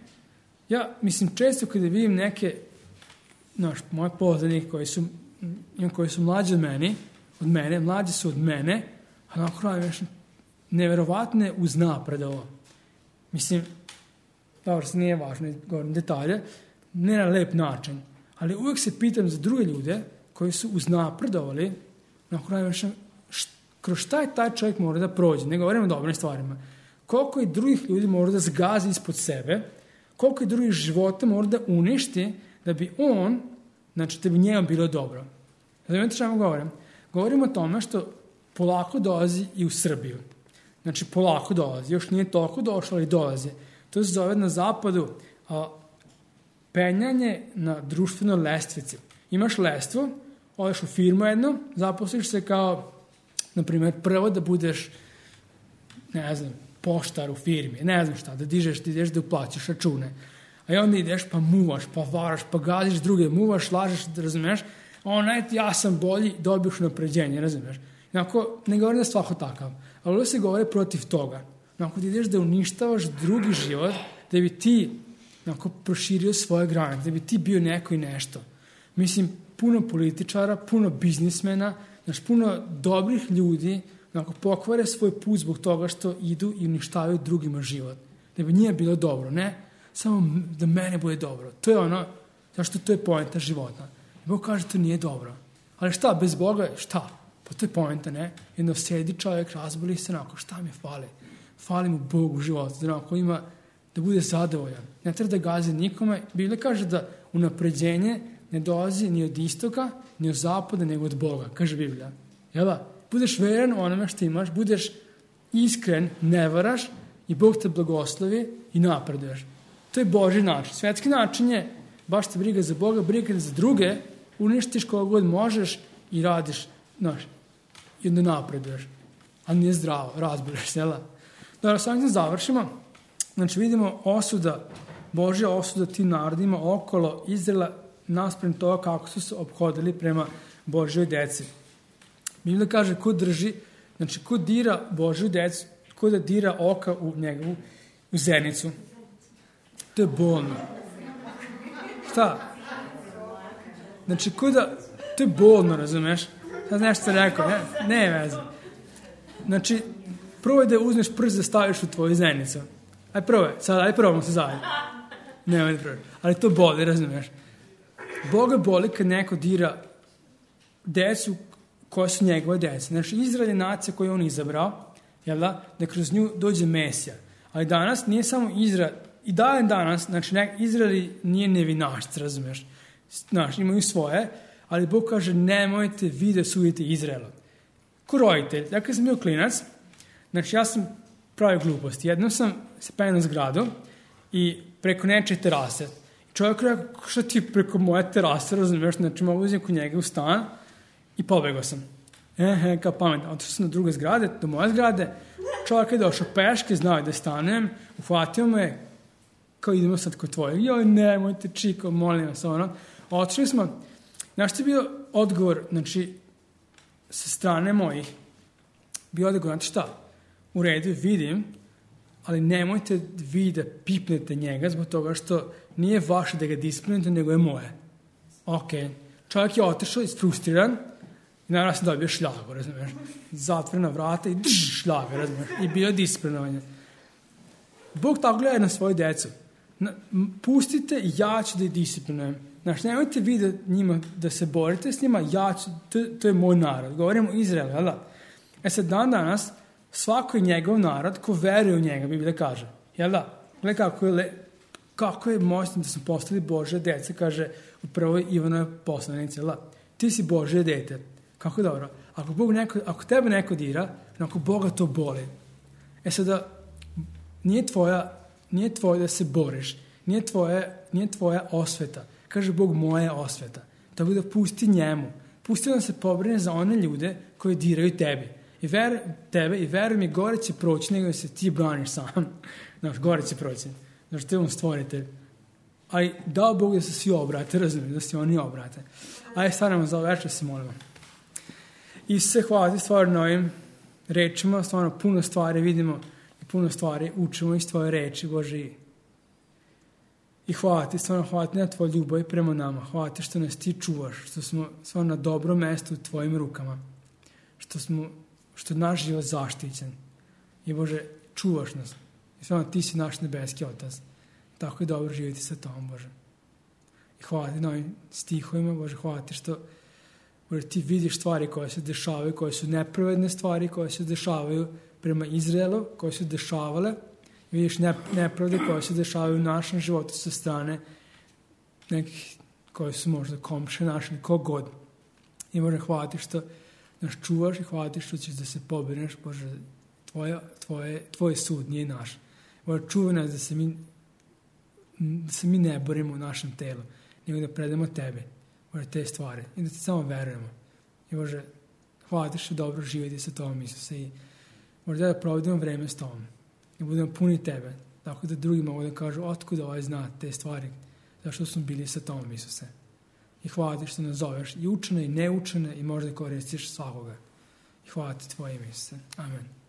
Ja mislim često kada vidim neke, znaš, moje poznanike koji su, koji su mlađi od mene, od mene, mlađi su od mene, a onako radim neverovatne uznapred ovo. Mislim, dobro, se nije važno, govorim detalje, ne na lep način, ali uvijek se pitam za druge ljude koji su uznapredovali, onako radim kroz šta je taj čovjek mora da prođe, ne govorimo o dobrim stvarima, koliko i drugih ljudi mora da zgazi ispod sebe, koliko i drugih života mora da uništi da bi on, znači da bi njemu bilo dobro. Znate što vam govorim? Govorimo o tome što polako dolazi i u Srbiju. Znači polako dolazi, još nije toliko došlo, ali dolazi. To se zove na zapadu a, penjanje na društvenoj lestvici. Imaš lestvu, odeš u firmu jednu, zaposliš se kao, na primjer, prvo da budeš, ne znam, poštar u firmi, ne znam šta, da dižeš, da ideš da uplaćaš račune. A i onda ideš pa muvaš, pa varaš, pa gaziš druge, muvaš, lažeš, da razumeš, a onaj ja sam bolji, dobiješ napređenje, razumeš. Inako, ne govorim da je svako takav, ali ovo se govore protiv toga. Inako, da ideš da uništavaš drugi život, da bi ti inako, proširio svoje granice, da bi ti bio neko i nešto. Mislim, puno političara, puno biznismena, znaš, puno dobrih ljudi, onako, pokvare svoj put zbog toga što idu i uništavaju drugima život. Da bi nije bilo dobro, ne? Samo da mene bude dobro. To je ono, zašto to je poenta života. I Bog kaže, to nije dobro. Ali šta, bez Boga, šta? Pa to je poenta, ne? Jedno sedi čovjek, razboli se, onako, šta mi fali? Fali mu Bog u životu, da onako ima, da bude zadovoljan. Ne treba da gazi nikome. Biblia kaže da unapređenje ne dolazi ni od istoka, ni od zapada, nego od Boga, kaže Biblija. Jel da? Budeš veren onome što imaš, budeš iskren, ne varaš i Bog te blagoslovi i napreduješ. To je Božji način. Svetski način je baš te briga za Boga, briga za druge, uništiš koga god možeš i radiš, znaš, i onda napreduješ. Ali nije zdravo, razboliš se, jel da? Dobro, sam da završimo. Znači vidimo osuda, Božja osuda tim narodima okolo Izraela naspram toga kako su se ophodili prema Božjoj deci. Biblia kaže ko drži, znači ko dira Božju decu, ko da dira oka u njegovu u zenicu. To je bolno. Šta? Znači ko da, to je bolno, razumeš? Sad nešto rekao, ne, ne veze. Znači, prvo je da uzmeš prst da staviš u tvoju zenicu. Aj prvo je, sad, aj probamo se zajedno. Ne, ne prvo. Ali to boli, razumeš? Boga boli kad neko dira decu koje su njegove djece. Znači, Izrael je nacija koju on izabrao, jel da, da kroz nju dođe Mesija. Ali danas nije samo Izrael, i dan danas, znači, Izrael nije nevinašc, razumeš? Znači, imaju svoje, ali Bog kaže, nemojte vi da sudite Izraela. Ko roditelj, ja kad sam bio klinac, znači, ja sam pravio gluposti. Jednom sam se penio na zgradu i preko nečije terase. Čovjek rekao, što ti preko moje terase, razumeš? Znači, mogu uzeti kod njega u stan i pobegao sam. Ehe, kao pametno. Otišao sam do druge zgrade, do moje zgrade. Čovjek je došao peške, znao da stanem, uhvatio me, kao idemo sad kod tvojeg. Joj, nemojte, čiko, molim vas, ono. Otišli smo. Znaš što je bio odgovor, znači, sa strane mojih, bio odgovor, znači šta? U redu, vidim, ali nemojte vi da pipnete njega zbog toga što nije vaše da ga disciplinujete, nego je moje. Ok. Čovjek je otišao isfrustriran i naravno sam dobio šljagu, razumiješ? Zatvorena vrata i drž, šljaga, razumiješ? I bio disciplinovanje. Bog tako gleda na svoju decu. Na, pustite, ja ću da ih disciplinujem. Znači, nemojte vi da, njima, da se borite s njima, ja ću, to, to je moj narod. Govorimo o Izraelu, jel da? E sad, dan danas, svako je njegov narod ko veruje u njega, Biblija kaže. Jel da? Gledaj kako je, le, kako je moćno da su postali Božje dece, kaže u prvoj Ivanove poslanici, jel da? Ti si Božje dete. Kako je dobro. Ako, Bog neko, ako tebe neko dira, ako Boga to boli. E sada, nije tvoja, nije tvoje da se boriš, nije, tvoje, nije tvoja osveta. Kaže Bog, moja je osveta. Tako da pusti njemu. Pusti da se pobrine za one ljude koji diraju tebi. I ver, tebe i veruj mi, gore će proći nego da se ti braniš sam. Znaš, gore će proći. Znaš, te on stvorite. Ali dao Bog da se svi obrate, razumijem, da se oni obrate. Ajde, stanemo za ovo večer, se molimo. Isuse, hvala ti stvarno na ovim rečima, stvarno puno stvari vidimo i puno stvari učimo iz tvoje reči, Bože. I hvala ti, stvarno hvala ti na tvoj ljubav prema nama. Hvala ti što nas ti čuvaš, što smo stvarno na dobrom mestu u tvojim rukama. Što smo, što je naš život zaštićen. I Bože, čuvaš nas. I stvarno ti si naš nebeski Otac. Tako je dobro živjeti sa tom, Bože. I hvala ti na ovim stihovima, Bože, hvala ti što Bože, ti vidiš stvari koje se dešavaju, koje su nepravedne stvari, koje se dešavaju prema Izraelu, koje su dešavale. Vidiš nepravde koje se dešavaju u našem životu sa strane nekih koji su možda komše naši, kogod. I Bože, hvala ti što nas čuvaš i hvala ti što ćeš da se pobrineš, Bože, tvoje, tvoje, tvoj sud nije naš. Bože, čuvaj nas da se mi, da se mi ne borimo u našem telu, nego da predamo tebe, Bože, te stvari i da ti samo verujemo. I Bože, hvala ti što dobro živjeti sa tobom, Isuse, i Bože, da provedemo vreme s tobom i budemo puni tebe, tako da drugi mogu da kažu otkud ovaj zna te stvari, zašto smo bili sa tobom, Isuse. I hvala ti što nas zoveš i učene i neučene i možda koristiš svakoga. I hvala ti tvoje ime, Isuse. Amen.